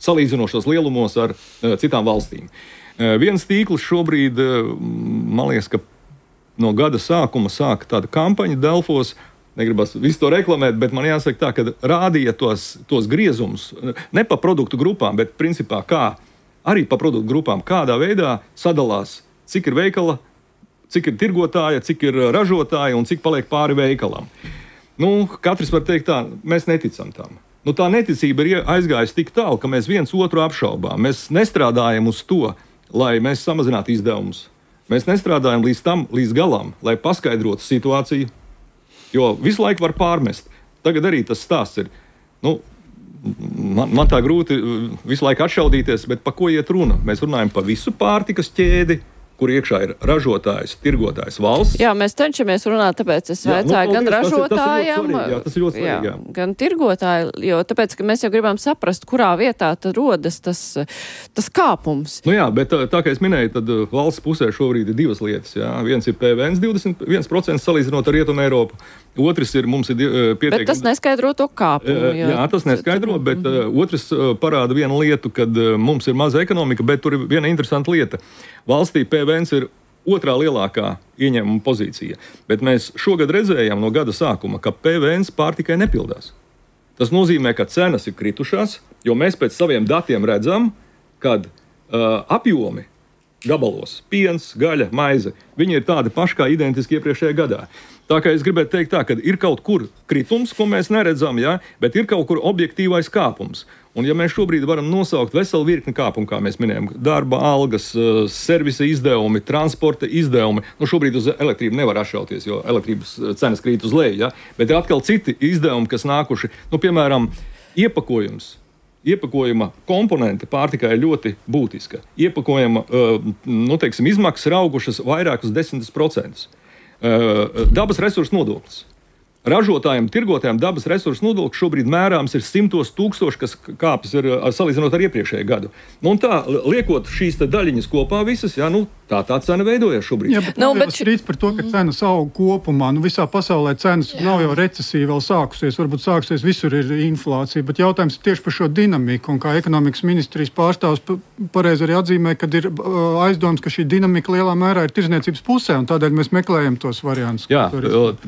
Speaker 4: salīdzinošos lielumos ar citām valstīm. Viens tīkls šobrīd, man liekas, ka no gada sākuma sāka tāda kampaņa Delfos, negribas visu to reklamēt, bet man jāsaka tā, ka rādīja tos griezumus, ne pa produktu grupām, bet principā kā arī pa produktu grupām, kādā veidā sadalās, cik ir veikala, cik ir tirgotāja, cik ir ražotāja un cik paliek pāri veikalam. Katrs var teikt tā, mēs neticam tam. Tā neticība ir aizgājusi tik tālu, ka mēs viens otru apšaubām. Mēs nestrādājam uz to, lai mēs samazinātu izdevumus. Mēs nestrādājam līdz galam, lai paskaidrotu situāciju, jo visu laiku var pārmest. Tagad arī tas stāsts ir, Man tā grūti visu laiku atšaudīties, bet par ko iet runa? Mēs runājam par visu pārtikas ķēdi, kur iekšā ir ražotājs, tirgotājs, valsts.
Speaker 2: Jā, mēs cenšamies runāt, tāpēc es vaicāju gan ražotājiem, gan tirgotāju, jo tāpēc, ka mēs jau gribam saprast, kurā vietā tad rodas tas kāpums.
Speaker 4: Bet tā kā es minēju, tad valsts pusē šobrīd ir divas lietas. Jā. Viens ir PVN 21% salīdzinot ar Rietumu Eiropu. Otrs ir, mums ir pieteikums.
Speaker 2: Bet tas neskaidro to kāpumu.
Speaker 4: Jā, tas neskaidro, bet otrs parāda vienu lietu, kad mums ir maza ekonomika, bet tur ir viena interesanta lieta. Valstī PVN ir otrā lielākā ieņēmuma pozīcija, bet mēs šogad redzējām no gada sākuma, ka PVN pārtikai nepildās. Tas nozīmē, ka cenas ir kritušās, jo mēs pēc saviem datiem redzam, kad apjomi gabalos, piens, gaļa, maize, viņi ir tādi paši kā identiski iepriekšējā gadā. Tā kā es gribētu teikt tā, ka ir kaut kur kritums, ko mēs neredzam, ja, bet ir kaut kur objektīvais kāpums. Un ja mēs šobrīd varam nosaukt veselu virkni kāpumu, kā mēs minējam, darba algas, servisa izdevumi, transporta izdevumi, šobrīd uz elektrību nevar atšauties, jo elektrības cenas krīt uz leju, ja, bet ir atkal citi izdevumi, kas nākuši, piemēram, Iepakojuma komponente pārtikai ir ļoti būtiska. Iepakojuma izmaksas ir augušas vairāk uz 10%. Dabas resursu nodoklis. Ražotājiem, tirgotājiem dabas resursu nodoklis šobrīd mērāms ir 100 000, kas kāpjas ir salīdzinot ar iepriekšējo gadu. Un tā, liekot šīs daļiņas kopā visas, jā, tā cena veidojas šobrīd.
Speaker 5: Jā, bet nav jau strīds par to, ka cenas aug kopumā. Visā pasaulē cenas nav jau recesija vēl sākusies. Varbūt sākusies, visur ir inflācija. Bet jautājums ir tieši par šo dinamiku. Un kā ekonomikas ministrijas pārstāvs pareizi arī atzīmē, kad ir aizdoms, ka šī dinamika lielā mērā ir tirdzniecības pusē. Un tādēļ mēs meklējam tos variantus.
Speaker 4: Jā,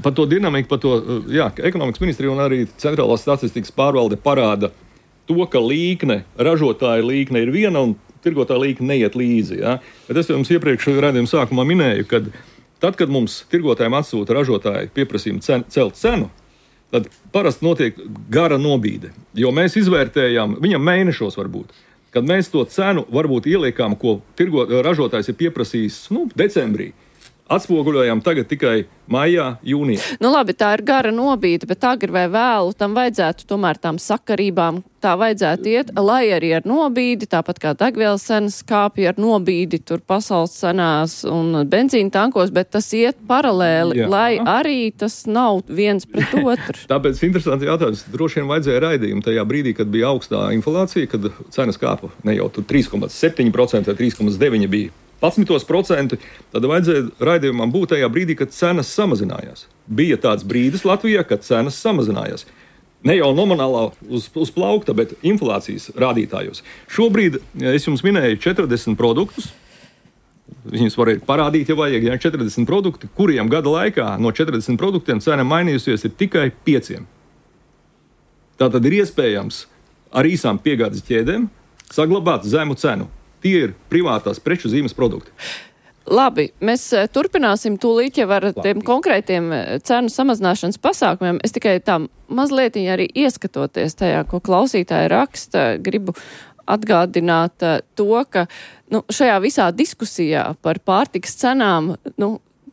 Speaker 4: par to dinamiku, ekonomikas ministrija un arī Centrālās statistikas pārvalde parāda to, ka ražotāja līkne ir viena un tirgotāja līkne neiet līdzi. Ja? Bet es jums iepriekš raidījuma sākumā minēju, ka tad, kad mums tirgotājiem atsūta ražotāji pieprasījumu celt cenu, tad parasti notiek gara nobīde. Jo mēs izvērtējam, viņam mēnešos varbūt, kad mēs to cenu varbūt ieliekām, ko ražotājs ir pieprasījis decembrī. Atspoguļojam tagad tikai maijā, jūnijā.
Speaker 2: Labi, tā ir gara nobīde, bet agri vai vēlu tam vajadzētu tomēr tām sakarībām, tā vajadzētu iet, lai arī ar nobīdi, tāpat kā degvielas cenas kāpja ar nobīdi tur pasaules cenās un benzīna tankos, bet tas iet paralēli, lai arī tas nav viens pret otru.
Speaker 4: Tāpēc interesanti jautājums. Droši vien vajadzēja raidījumu tajā brīdī, kad bija augstā inflācija, kad cenas kāpa ne jau 3,7% vai 3,9% bija. 11%, tad vajadzēja raidījumam būt tajā brīdī, kad cenas samazinājās. Bija tāds brīdis Latvijā, kad cenas samazinājās. Ne jau nominālā uz plaukta, bet inflācijas rādītājos. Šobrīd es jums minēju 40 produktus. Viņus var parādīt, ja vajag, 40 produkti, kuriem gada laikā no 40 produktiem cena mainījusies ir tikai 5. Tātad ir iespējams ar īsām piegādes ķēdēm saglabāt zemu cenu. Tie ir privātās preču zīmes produkti.
Speaker 2: Labi, mēs turpināsim tūlīt jau ar tiem konkrētiem cenu samazināšanas pasākumiem. Es tikai tā mazliet arī ieskatoties tajā, ko klausītāji raksta, gribu atgādināt to, ka šajā visā diskusijā par pārtikas cenām,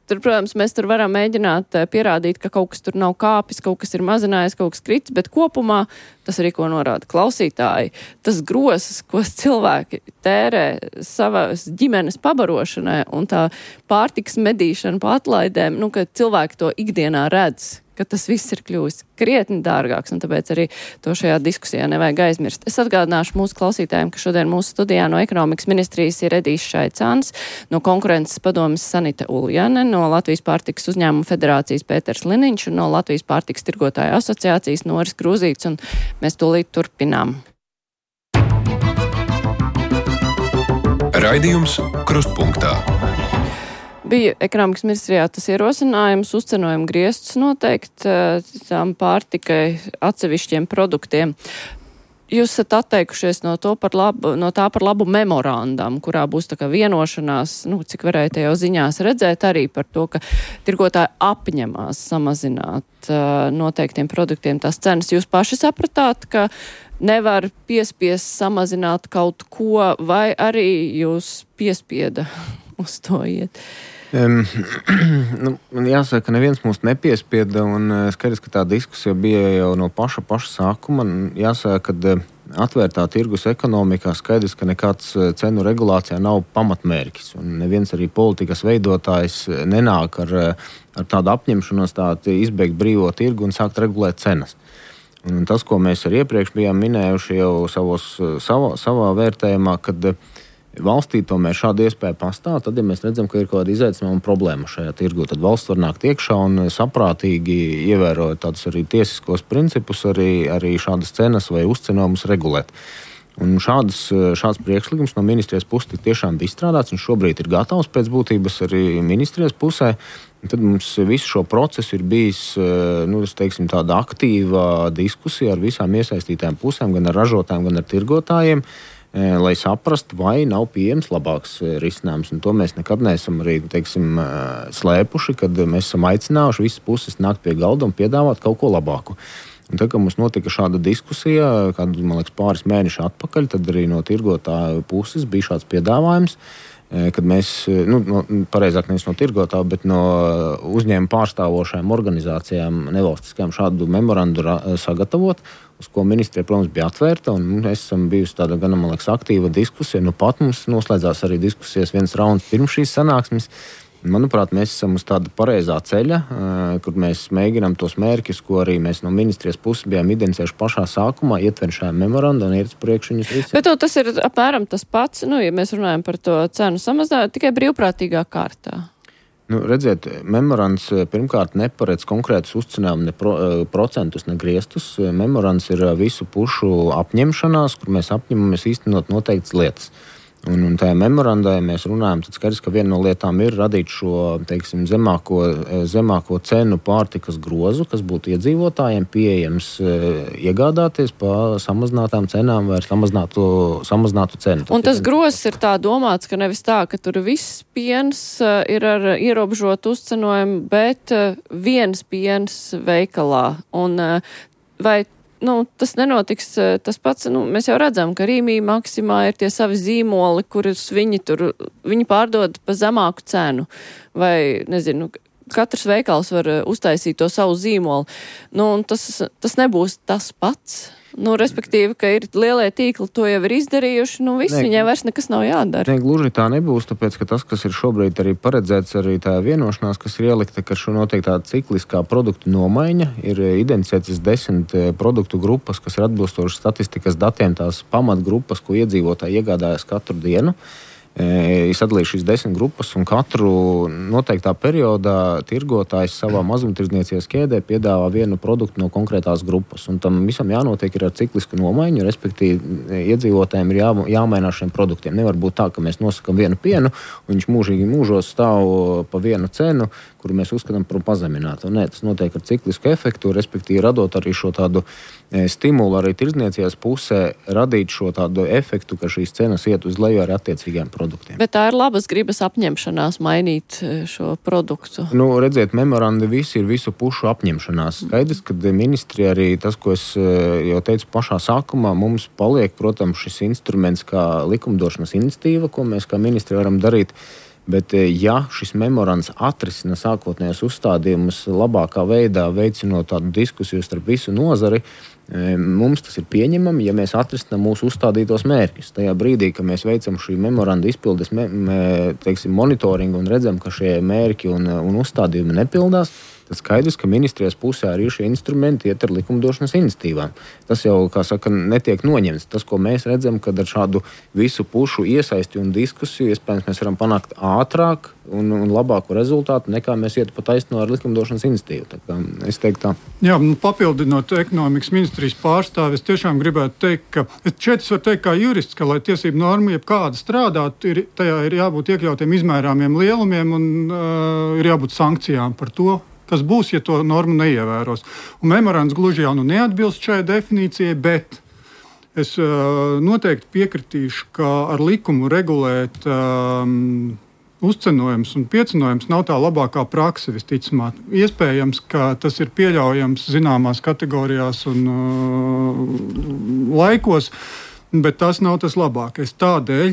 Speaker 2: tur, protams, mēs tur varam mēģināt pierādīt, ka kaut kas tur nav kāpis, kaut kas ir mazinājies, kaut kas kritis, bet kopumā tas arī, ko norāda klausītāji, tas grosas, ko cilvēki tērē savas ģimenes pabarošanai un tā pārtikas medīšana pa atlaidēm, ka cilvēki to ikdienā redz, ka tas viss ir kļuvis krietni dārgāks, un tāpēc arī to šajā diskusijā nevajag aizmirst. Es atgādināšu mūsu klausītājiem, ka šodien mūsu studijā no ekonomikas ministrijas ir Edijs Šaicāns, no konkurences padomes Sanita Uljane, no Latvijas pārtikas uzņēmumu federācijas Pēters Liniņš un no Latvijas pārtikas tirgotāju asociācijas Noris Krūzīts, un mēs tūlīt turpinām.
Speaker 1: Raidījums Krustpunktā.
Speaker 2: Bija ekonomikas ministrijā tas ierosinājums uzcenojumu griestus noteikt tām pārtikai atsevišķiem produktiem. Jūs esat atteikušies no tā par labu memorandam, kurā būs tā kā vienošanās, cik varēja te jau ziņās redzēt, arī par to, ka tirgotāji apņemās samazināt noteiktiem produktiem tās cenas. Jūs paši sapratāt, ka nevar piespiest samazināt kaut ko, vai arī jūs piespieda uz to iet?
Speaker 3: Man jāsaka, ka neviens mūs nepiespieda, un skaidrs, ka tā diskusija bija jau no paša sākuma. Jāsaka, ka atvērtā tirgus ekonomikā skaidrs, ka nekāds cenu regulācijā nav pamatmērķis, un neviens arī politikas veidotājs nenāk ar tādu apņemšanos izbeigt brīvo tirgu un sākt regulēt cenas. Un tas, ko mēs arī iepriekš bijām minējuši jau savā vērtējumā, kad valstī tomēr šāda iespēja pastāv, tad, ja mēs redzam, ka ir kaut kāda izaicinājuma un problēma šajā tirgu, tad valsts var nākt iekšā un saprātīgi ievērot tādus arī tiesiskos principus, arī šādas cenas vai uzcenojumus regulēt. Un šāds priekšlikums no ministrijas puses tiešām bija izstrādāts, un šobrīd ir gatavs pēc būtības arī ministrijas pusē. Tad mums visu šo procesu ir bijis tāda aktīva diskusija ar visām iesaistītām pusēm, gan ar ražotājiem, gan ar tirgotājiem, lai saprastu, vai nav pieejams labāks risinājums. Un to mēs nekad neesam arī slēpuši, kad mēs esam aicinājuši visas puses nākt pie galda un piedāvāt kaut ko labāku. Un tad, kad mums notika šāda diskusija, man liekas, pāris mēneši atpakaļ, tad arī no tirgotāju puses bija šāds piedāvājums, kad mēs, pareizāk nevis no tirgotāju, bet no uzņēmuma pārstāvošajām organizācijām nevalstiskajām šādu memorandu sagatavot, uz ko ministrija, protams, bija atvērta, un mēs esam bijusi tāda gan, man liekas, aktīva diskusija. Pat mums noslēdzās arī diskusijas viens rauns pirms šīs sanāksmes. Manuprāt, mēs esam uz tāda pareizā ceļa, kur mēs mēģinām tos mērķus, ko arī mēs no ministrijas puses bijām identificējuši pašā sākumā, ietvert šajā memorandā un iet uz priekšu viņus visus.
Speaker 2: Bet tas ir apmēram tas pats, ja mēs runājam par to cenu samazinājumu, tikai brīvprātīgā kārtā.
Speaker 3: Redziet, memorands pirmkārt neparedz konkrētus uzcinājumu, ne procentus, ne griestus. Memorands ir visu pušu apņemšanās, kur mēs apņemamies īstenot noteiktas lietas. Un tajā memorandā, ja mēs runājam, tad skaidrs, ka viena no lietām ir radīt šo, zemāko cenu pārtikas grozu, kas būtu iedzīvotājiem pieejams iegādāties pa samazinātām cenām vai ar samazinātu cenu.
Speaker 2: Un tas grozs ir tā domāts, ka nevis tā, ka tur viss piens ir ar ierobežotu uzcenojumu, bet viens piens veikalā. Un vai tas nenotiks tas pats. Mēs jau redzam, ka Rīmī Maksimā ir tie savi zīmoli, kurus viņi pārdod pa zemāku cenu. Vai, nezinu, katrs veikals var uztaisīt to savu zīmolu. Un tas nebūs tas pats. Respektīvi, ka ir lielie tīkli, to jau ir izdarījuši, viņiem vairs nekas nav jādara.
Speaker 3: Gluži tā nebūs, tāpēc, ka tas, kas ir šobrīd arī paredzēts, arī tā vienošanās, kas ir ielikta, ka šo notiek tāda cikliskā produktu nomaiņa, ir identificētas 10 produktu grupas, kas ir atbilstoši statistikas datiem, tās pamatgrupas, ko iedzīvotāji iegādājas katru dienu. Ir sadalījuši šīs 10 grupas, un katru noteiktā periodā tirgotājs savā mazumtirdzniecības ķēdē piedāvā vienu produktu no konkrētās grupas. Un tam visam jānotiek ir ar ciklisku nomaiņu, respektīvi iedzīvotājiem ir jāmainās šiem produktiem. Nevar būt tā, ka mēs nosakam vienu pienu, un viņš mūžīgi mūžos stāv pa vienu cenu, kuru mēs uzskatām par pazeminātu. Nē, tas notiek ar ciklisku efektu, respektīvi radot arī šo tādu stimulu arī tirdzniecības pusē, radīt šo tādu efektu, ka šīs cenas iet uz leju ar attiecīgiem produktiem.
Speaker 2: Bet tā ir labas gribas apņemšanās mainīt šo produktu.
Speaker 3: Redziet, memorandi visi ir visu pušu apņemšanās. Skaidrs, ka ministrija arī tas, ko es jau teicu pašā sākumā, mums paliek, protams, šis instruments kā likumdošanas iniciatīva, ko mēs kā ministrija varam darīt. Bet, ja šis memorands atrisina sākotnējos uzstādījumus labākā veidā, veicinot tādu diskusiju starp visu nozari, mums tas ir pieņemami, ja mēs atrisinām mūsu uzstādītos mērķus. Tajā brīdī, kad mēs veicam šī memoranda izpildes monitoringu un redzam, ka šie mērķi un uzstādījumi nepildās, tad skaidrs, ka ministrijas pusē arī šie instrumenti iet ar likumdošanas iniciatīvām. Tas jau, kā saka, netiek noņemts. Tas, ko mēs redzam, kad ar šādu visu pušu iesaisti un diskusiju, iespējams, mēs varam panākt ātrāk un labāku rezultātu, nekā mēs ietu pa taisno ar likumdošanas iniciatīvu. Tā kā es teiktu tā.
Speaker 5: Jā, papildinot ekonomikas ministrijas pārstāvi, es tiešām gribētu teikt, ka šeit es varu teikt kā jurists, ka, lai tiesību norma jebkāda strādāt, tajā ir jābūt iekļautiem izmērāmiem lielumiem un ir jābūt sankcijām par to, kas būs, ja to normu neievēros. Un memorands gluži jau neatbilst šai definīcijai, bet es noteikti piekritīšu, ka ar likumu regulēt uzcenojums un piecenojums nav tā labākā prakse, visticamāk. Iespējams, ka tas ir pieļaujams zināmās kategorijās un laikos, bet tas nav tas labākais. Tādēļ,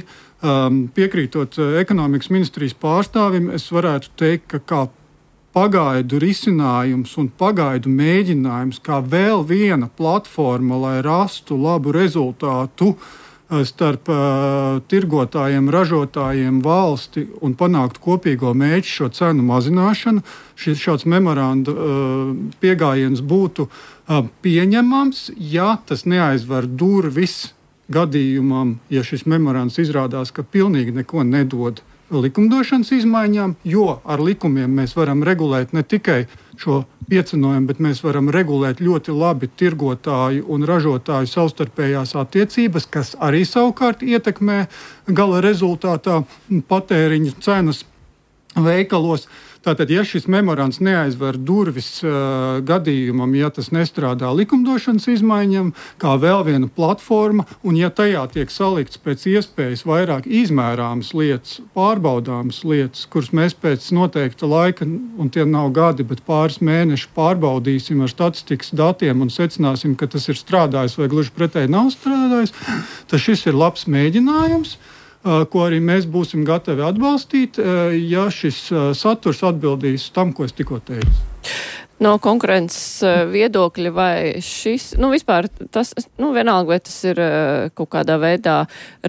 Speaker 5: piekrītot ekonomikas ministrijas pārstāvim, es varētu teikt, ka kā pagaidu risinājums un pagaidu mēģinājums, kā vēl viena platforma, lai rastu labu rezultātu starp tirgotājiem, ražotājiem, valsti un panākt kopīgo mērķi šo cenu mazināšanu. Šāds memoranda piegājiens būtu pieņemams, ja tas neaizver durvis gadījumam, ja šis memorands izrādās, ka pilnīgi neko nedod likumdošanas izmaiņām, jo ar likumiem mēs varam regulēt ne tikai šo piecenojumu, bet mēs varam regulēt ļoti labi tirgotāju un ražotāju savstarpējās attiecības, kas arī savukārt ietekmē gala rezultātā patēriņa cenas veikalos. Tātad, ja šis memorands neaizver durvis gadījumam, ja tas nestrādā likumdošanas izmaiņam, kā vēl viena platforma, un ja tajā tiek salikts pēc iespējas vairāk izmērāmas lietas, pārbaudāmas lietas, kuras mēs pēc noteikta laika, un tie nav gadi, bet pāris mēneši pārbaudīsim ar statistikas datiem un secināsim, ka tas ir strādājis vai gluži pretēji nav strādājis, tad šis ir labs mēģinājums, ko arī mēs būsim gatavi atbalstīt, ja šis saturs atbildīs tam, ko es tikko teicu.
Speaker 2: No konkurences viedokļa vai šis, vispār tas, vienalga, vai tas ir kaut kādā veidā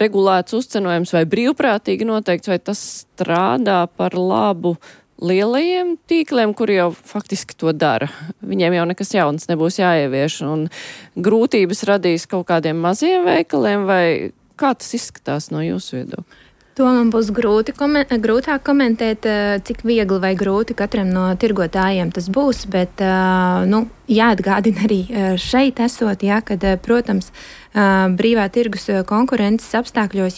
Speaker 2: regulēts uzcenojums vai brīvprātīgi noteikts, vai tas strādā par labu lielajiem tīkliem, kuri jau faktiski to dara. Viņiem jau nekas jauns nebūs jāievieš, un grūtības radīs kaut kādiem maziem veikaliem, vai kā tas izskatās no jūsu viedokļa?
Speaker 6: To man būs grūtāk komentēt, cik viegli vai grūti katram no tirgotājiem tas būs, bet jāatgādina arī šeit esot, kad, protams, brīvā tirgus konkurences apstākļos,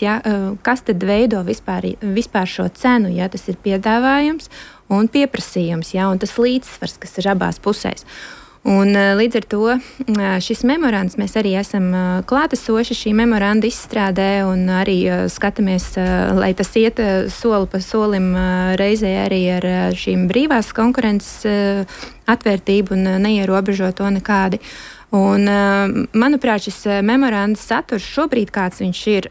Speaker 6: kas tad veido vispār šo cenu, tas ir piedāvājums un pieprasījums, un tas līdzsvars, kas ir abās pusēs. Un līdz ar to šis memorands, mēs arī esam klātesoši šī memoranda izstrādē un arī skatāmies, lai tas iet soli pa solim reizē arī ar šīm brīvās konkurences atvērtību un neierobežo to nekādi. Un, manuprāt, šis memorandas saturs šobrīd, kāds viņš ir,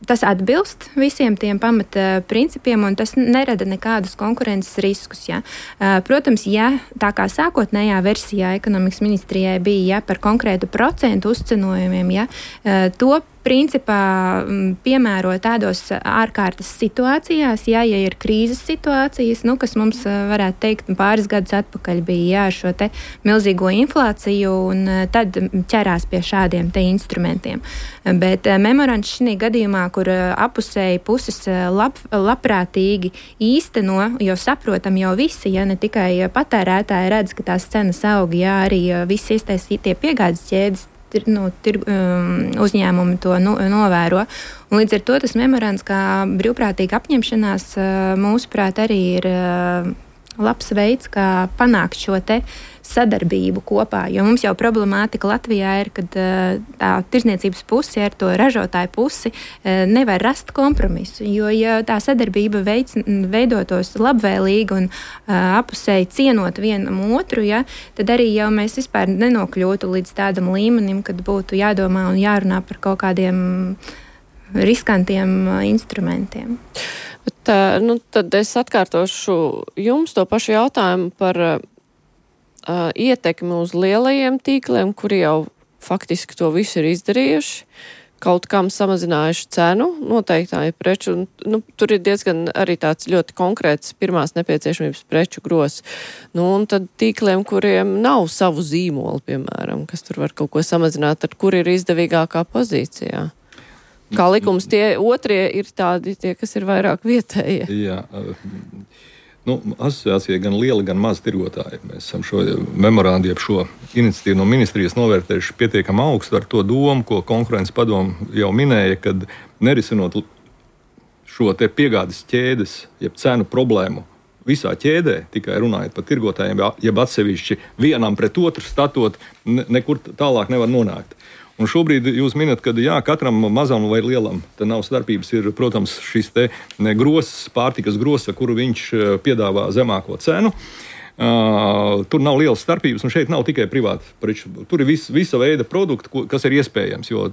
Speaker 6: tas atbilst visiem tiem pamata principiem, un tas nerada nekādus konkurences riskus. Ja. Protams, tā kā sākotnējā versijā ekonomikas ministrijai bija par konkrētu procentu uzcenojumiem, to principā piemēro tādos ārkārtas situācijās, ja ir krīzes situācijas, kas mums varētu teikt pāris gadus atpakaļ bija šo te milzīgo inflāciju, un tad ķerās pie šādiem te instrumentiem. Bet memorands šī gadījumā, kur apusēji puses labprātīgi īsteno, jo saprotam jau visi, ne tikai patērētāji redz, ka tās cenas aug, arī visi iesaistītie piegādes ķēdes uzņēmumi to novēro. Un līdz ar to tas memorands kā brīvprātīga apņemšanās mūsuprāt arī ir labs veids, kā panākt šo te sadarbību kopā, jo mums jau problemātika Latvijā ir, kad tā tirzniecības pusi ar to ražotāju pusi nevar rast kompromisu, jo ja tā sadarbība veidotos labvēlīgi un apusēji cienot vienam otru, tad arī jau mēs vispār nenokļūtu līdz tādam līmenim, kad būtu jādomā un jārunā par kaut kādiem riskantiem instrumentiem.
Speaker 2: Bet, tad es atkārtošu jums to pašu jautājumu par ietekmi uz lielajiem tīkliem, kuri jau faktiski to visu ir izdarījuši, kaut kam samazinājuši cenu noteiktāju preču. Tur ir diezgan arī tāds ļoti konkrēts pirmās nepieciešamības preču gros. Un tad tīkliem, kuriem nav savu zīmolu, piemēram, kas tur var kaut ko samazināt, tad kur ir izdevīgākā pozīcijā? Kā likums, tie otrie ir tādi, tie, kas ir vairāk vietējie.
Speaker 4: Jā. Asociācija gan liela, gan maza tirgotāji. Mēs esam šo memorandu, šo iniciatīvu no ministrijas novērtējuši pietiekami augstu ar to domu, ko konkurences padomu jau minēja, kad nerisinot šo te piegādes ķēdes, jeb cenu problēmu visā ķēdē, tikai runājot par tirgotājiem, jeb atsevišķi vienam pret otru statot, nekur tālāk nevar nonākt. Un šobrīd jūs minat, ka katram mazam vai lielam te nav starpības, ir, protams, šis te grozs, pārtikas grozs, ar kuru viņš piedāvā zemāko cenu. Tur nav lielas starpības, un šeit nav tikai privāti preču. Tur ir visa veida produkti, kas ir iespējams, jo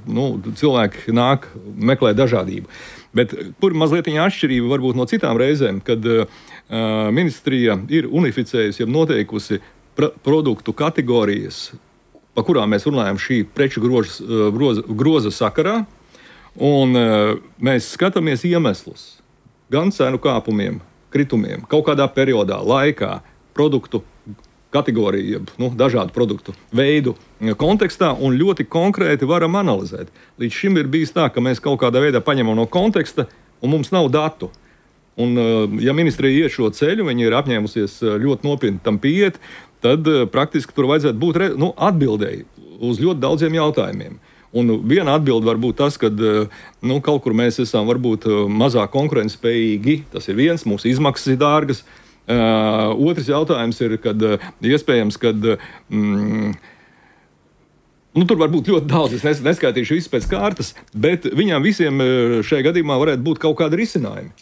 Speaker 4: cilvēki meklē dažādību. Bet tur mazliet atšķirība varbūt no citām reizēm, kad ministrija ir unificējusi, jeb noteikusi produktu kategorijas, pa kurām mēs runājam šī preču groza sakarā, un mēs skatāmies iemeslus gan cenu kāpumiem, kritumiem, kaut kādā periodā, laikā, produktu kategoriju, dažādu produktu veidu kontekstā, un ļoti konkrēti varam analizēt. Līdz šim ir bijis tā, ka mēs kaut kādā veidā paņemam no konteksta, un mums nav datu. Un, ja ministrija iet šo ceļu, viņi ir apņēmusies ļoti nopietni tam pieiet, tad praktiski tur vajadzētu būt atbildēji uz ļoti daudziem jautājumiem. Un viena atbilde var būt tas, ka kaut kur mēs esam varbūt mazāk konkurētspējīgi. Tas ir viens, mūsu izmaksas ir dārgas. Otrs jautājums ir, kad iespējams, kad tur var būt ļoti daudz, es neskaitīšu visu pēc kārtas, bet viņām visiem šajā gadījumā varētu būt kaut kādi risinājumi.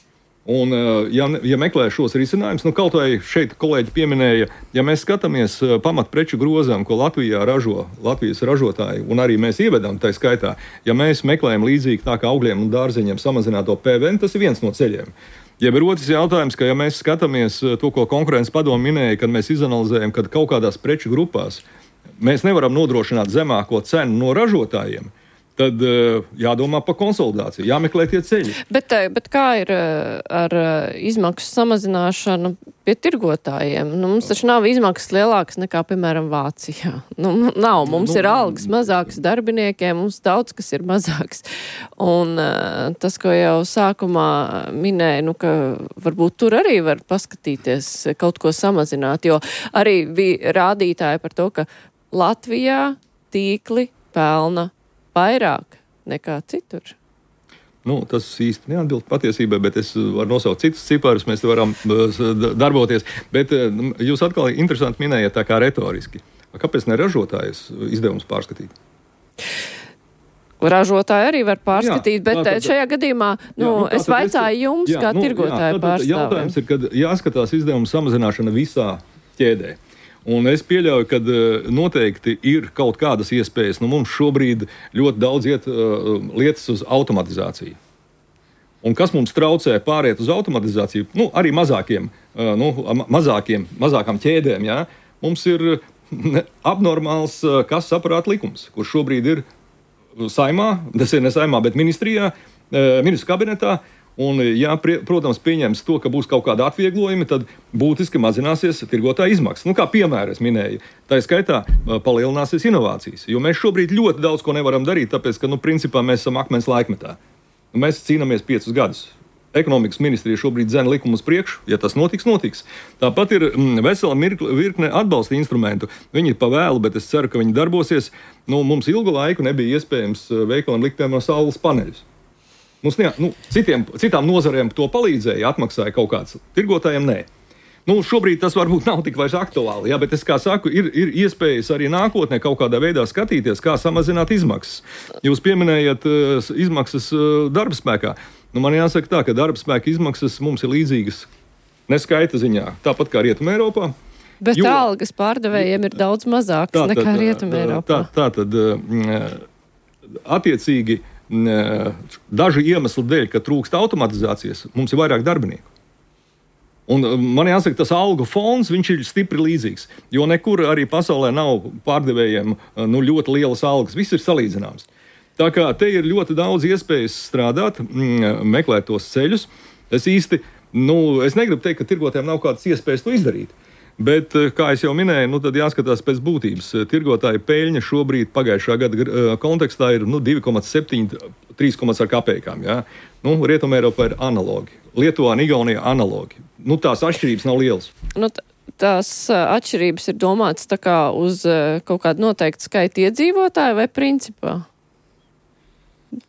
Speaker 4: Un, ja meklē šos risinājumus, kaut vai šeit kolēģi pieminēja, ja mēs skatāmies pamatpreču grozām, ko Latvijā ražo Latvijas ražotāji, un arī mēs ievedam tā skaitā, ja mēs meklējam līdzīgi tā kā augļiem un dārzeņiem samazināto PVN, tas ir viens no ceļiem. Ja ir otrs jautājums, ka ja mēs skatāmies to, ko konkurences padome minēja, kad mēs izanalizējam, kad kaut kādās preču grupās mēs nevaram nodrošināt zemāko cenu no ražotājiem, tad jādomā par konsolidāciju, jāmeklē tie ceļi.
Speaker 2: Bet kā ir ar izmaksu samazināšanu pie tirgotājiem? Mums taču nav izmaksas lielākas nekā, piemēram, Vācijā. Nav. Mums ir algas mazākas darbiniekiem, mums daudz kas ir mazāks. Un tas, ko jau sākumā minēja, ka varbūt tur arī var paskatīties kaut ko samazināt, jo arī bija rādītāji par to, ka Latvijā tīkli pelna vairāk nekā citur.
Speaker 4: Tas īsti neatbilst patiesībai, bet es varu nosaukt citus ciparus, mēs varam darboties. Bet jūs atkal interesanti minējat tā kā retoriski. Kāpēc ne ražotājas izdevums pārskatīt?
Speaker 2: Ražotāji arī var pārskatīt, bet šajā gadījumā es vaicāju jums, kā tirgotāju pārstāvjiem.
Speaker 4: Jautājums ir, kad jāskatās izdevuma samazināšana visā ķēdē. Un es pieļauju, ka noteikti ir kaut kādas iespējas. Mums šobrīd ļoti daudz iet lietas uz automatizāciju. Un kas mums traucē pāriet uz automatizāciju? Arī mazākām ķēdēm. Ja? Mums ir abnormāls kases aparāta likums, kurš šobrīd ir saimā, tas ir ne saimā, bet ministrijā, ministru kabinetā. Un, ja, protams, pieņems to, ka būs kaut kāda atvieglojuma, tad būtiski mazināsies tirgotāja izmaksas. Kā piemēra es minēju, tā skaitā palielināsies inovācijas. Jo mēs šobrīd ļoti daudz ko nevaram darīt, tāpēc, ka, principā, mēs esam akmens laikmetā. Mēs cīnāmies 5 gadus. Ekonomikas ministrija šobrīd dzen likumu uz priekšu, ja tas notiks, notiks. Tāpat ir vesela virkne atbalsta instrumentu. Viņi ir pavēlu, bet es ceru, ka viņi darbosies. Mums ilgu laiku nebija iespējams veikalam likt piemēram saules paneļus. Citām nozarēm to palīdzēja, atmaksāja kaut kāds, tirgotājiem nē. Šobrīd tas varbūt nav tik vairs aktuāli, bet es kā saku, ir iespējas arī nākotnē kaut kādā veidā skatīties, kā samazināt izmaksas. Jūs pieminējat izmaksas darba spēkā. Man jāsaka tā, ka darba spēka izmaksas mums ir līdzīgas neskaita ziņā, tāpat kā Rietumē Eiropā.
Speaker 2: Bet algas pārdevējiem ir daudz mazākas nekā Rietumē Eiropā.
Speaker 4: Tātad attiecīgi dažu iemeslu dēļ, ka trūkst automatizācijas, mums ir vairāk darbinieku. Un man jāsaka, tas algu fonds, viņš ir stipri līdzīgs, jo nekur arī pasaulē nav pārdevējiem ļoti lielas algas, viss ir salīdzināms. Tā kā te ir ļoti daudz iespējas strādāt, meklēt tos ceļus. Es negribu teikt, ka tirgotājiem nav kādas iespējas to izdarīt. Bet, kā jau minēju, tad jāskatās pēc būtības. Tirgotāja peļņa šobrīd pagājušā gada kontekstā ir 2,7, 3 ar kapekām. Ja? Rietumē Eiropā ir analogi. Lietuvā un Igaunijā analogi. Tās atšķirības nav lielas.
Speaker 2: Tās atšķirības ir domātas tā kā uz kaut kādu noteiktu skaitu iedzīvotāju vai principā?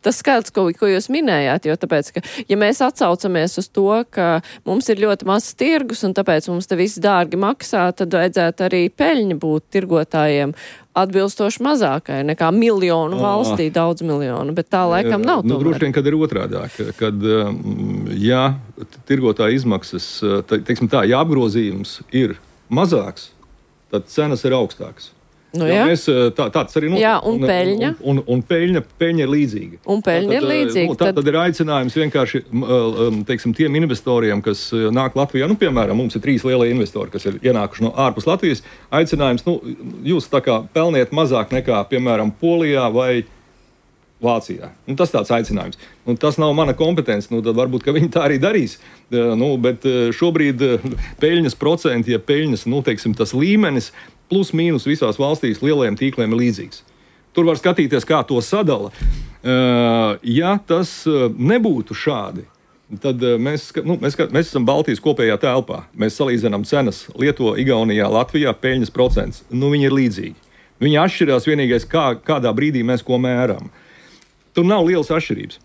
Speaker 2: Tas skaits, ko jūs minējāt, jo tāpēc, ka, ja mēs atsaucamies uz to, ka mums ir ļoti mazs tirgus un tāpēc mums te viss dārgi maksā, tad vajadzētu arī peļņa būt tirgotājiem atbilstoši mazākai nekā miljonu valstī, daudz miljonu, bet tā laikam nav tomēr.
Speaker 4: Droši vien, kad ir otrādāk, kad, ja tirgotāja izmaksas, ja apgrozījums ir mazāks, tad cenas ir augstākas. Mēs, tāds arī notiek.
Speaker 2: Jā, un peļņa?
Speaker 4: Un peļņa ir līdzīga.
Speaker 2: Un peļņa ir līdzīga.
Speaker 4: Tad ir aicinājums vienkārši, tiem investoriem, kas nāk Latvijā, piemēram, mums ir 3 lielie investori, kas ir ienākuši no ārpus Latvijas, aicinājums, jūs tā kā pelniet mazāk nekā, piemēram, Polijā vai Vācijā. Tas tāds aicinājums. Tas nav mana kompetence, tad varbūt, ka viņi tā arī darīs. Bet šobrīd peļņas procenti, ja peļņas, tas līmenis, plus mīnus visās valstīs lielajiem tīkliem ir līdzīgs. Tur var skatīties, kā to sadala. Ja tas nebūtu šādi, tad mēs esam Baltijas kopējā telpā. Mēs salīdzinām cenas Lietuvā, Igaunijā, Latvijā, peļņas procents. Viņi ir līdzīgi. Viņi atšķirās vienīgais, kādā brīdī mēs ko mēram. Tur nav lielas atšķirības.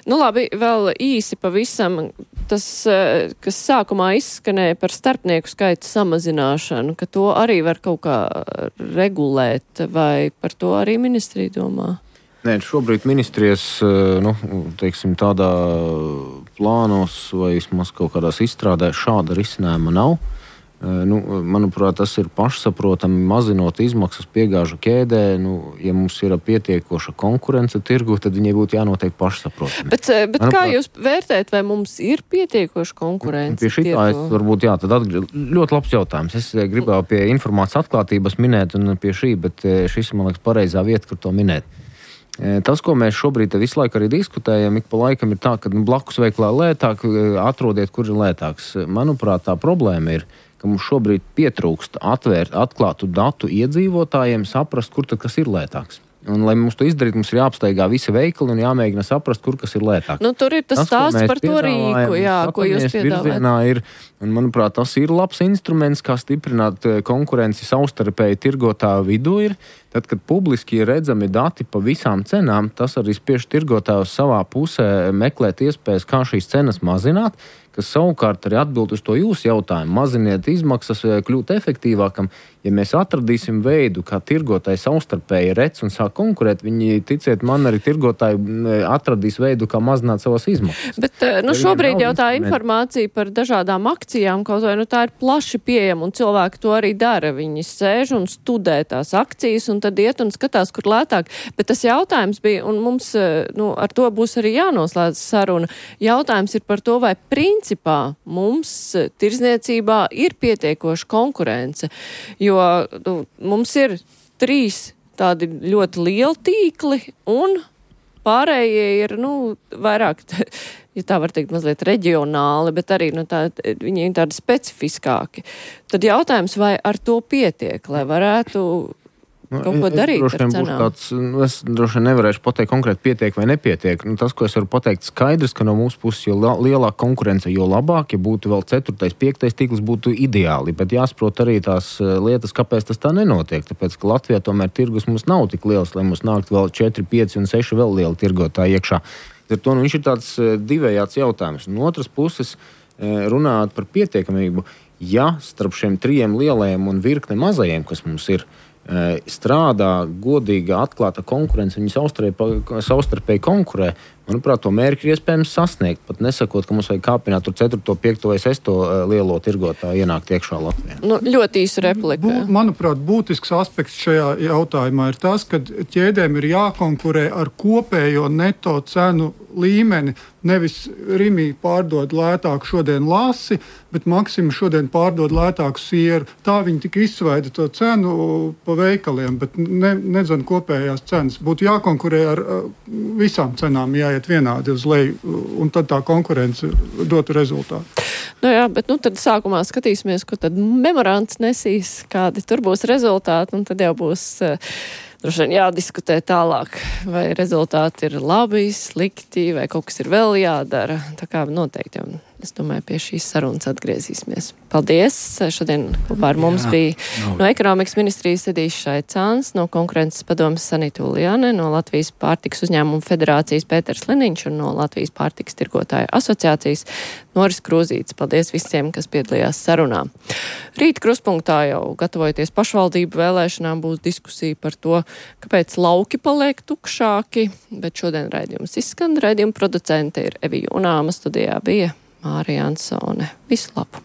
Speaker 2: Labi, vēl īsi pavisam tas, kas sākumā izskanēja par starpnieku skaita samazināšanu, ka to arī var kaut kā regulēt, vai par to arī ministrija domā?
Speaker 3: Nē, šobrīd ministrijas, teiksim, tādā plānos vai vismaz kaut kādās izstrādē šāda risinājuma nav. Manuprāt, tas ir pašsaprotami, mazinot izmaksas piegāžu ķēdē. Ja mums ir pietiekoša konkurence tirgu, tad viņai būtu jānotiek pašsaprotami.
Speaker 2: Bet manuprāt, kā jūs vērtējat, vai mums ir pietiekoša konkurence?
Speaker 3: Pie šitā es varbūt tad ļoti labs jautājums. Es gribēju pie informācijas atklātības minēt un pie šī, bet šis, man liekas, pareizā vieta, kur to minēt. Tas, ko mēs šobrīd visu laiku arī diskutējam, ik pa laikam ir tā, ka blakus veiklā lētāk, atrodiet, kur ir lētāks. Manuprāt, tā problēma ir, ka mums šobrīd pietrūkst atklātu datu iedzīvotājiem, saprast, kur tad kas ir lētāks. Un, lai mums to izdarīt, mums ir jāapsteigā visi veikali un jāmēģina saprast, kur kas ir lētāks.
Speaker 2: Tur ir tas stāsts par to rīku, ko jūs piedāvājat. Un, manuprāt, tas ir labs instruments, kā stiprināt konkurenci savstarpēji tirgotāju vidū ir. Tad, kad publiski ir redzami dati pa visām cenām, tas arī spiež tirgotājus savā pusē meklēt iespējas, kā šīs cenas mazināt, kas savukārt arī atbild uz to jūsu jautājumu. Maziniet izmaksas, kļūt efektīvākam. Ja mēs atradīsim veidu, kā tirgotāji savstarpēji redz un sāk konkurēt, viņi, ticiet man, arī tirgotāji atradīs veidu, kā mazināt savas izmaksas. Bet šobrīd jau tā informācija par dažādām akcijām, kaut vai tā ir plaši pieejama un cilvēki to arī dara. Viņi sēž un studē tās akcijas un tad iet un skatās, kur lētāk. Bet tas jautājums bija, un mums ar to būs arī jānoslēdz saruna. Jautājums ir par to, vai principā mums tirdzniecībā ir pietiekoša konkurence, jo mums ir 3 tādi ļoti lieli tīkli un pārējie ir, vairāk, ja tā var teikt, mazliet reģionāli, bet arī viņi ir tādi specifiskāki. Tad jautājums, vai ar to pietiek, lai varētu kaut ko darīt ar cenām?
Speaker 3: Es droši vien nevarēšu pateikt konkrēti pietiek vai nepietiek. Tas, ko es varu pateikt skaidrs, ka no mūsu puses, jo lielāka konkurence, jo labāk, ja būtu vēl 4., 5. tīkls, būtu ideāli. Bet jāsaprot arī tās lietas, kāpēc tas tā nenotiek. Tāpēc, ka Latvijā tomēr tirgus mums nav tik liels, lai mums nākt vēl 4, 5 un 6 vēl lieli tirgotāji iekšā. Ar to viņš ir tāds divējāds jautājums. No otras puses, runājot par pietiekamību, ja starp šiem 3 lielajiem un virkne mazajiem, kas mums ir, strādā godīga, atklāta konkurence, viņi savstarpēji konkurē, manuprāt, to mērķi ir iespējams sasniegt, pat nesakot, ka mums vajag kāpināt tur 4., 5. vai 6. lielo tirgotāju ienākt iekšā Latvijā.
Speaker 2: Ļoti īsa replika.
Speaker 5: Manuprāt, būtisks aspekts šajā jautājumā ir tas, ka ķēdēm ir jākonkurē ar kopējo neto cenu līmeni. Nevis Rimi pārdod lētāku šodien lasi, bet Maksima šodien pārdod lētāku sieru. Tā viņi tik izsvaida to cenu pa veikaliem, bet nezinu kopējās cenas. Būtu jākonkurē ar visām cenām, jāiet vienādi uz leju, un tad tā konkurence dotu rezultātu.
Speaker 2: Bet tad sākumā skatīsimies, ko tad memorands nesīs, kādi tur būs rezultāti, un tad jau būs droši vien jādiskutē tālāk, vai rezultāti ir labi, slikti, vai kaut kas ir vēl jādara. Tā kā noteikti, es domāju, pie šīs sarunas atgriezīsimies. Paldies! Šodien kopā ar mums bija no ekonomikas ministrijas Edijs Šaicāns, no konkurences padomes Sanita Uljane, no Latvijas pārtikas uzņēmumu federācijas Pēters Liniņš un no Latvijas pārtikas tirgotāju asociācijas Noris Krūzītis. Paldies visiem, kas piedalījās sarunā. Rīt Krustpunktā jau gatavojoties pašvaldību vēlēšanām būs diskusija par to, kāpēc lauki paliek tukšāki, bet šodien raidījums izskan. Raidījuma producente ir Evija Unāma, studijā bija Mārija Ansone. Visu labu!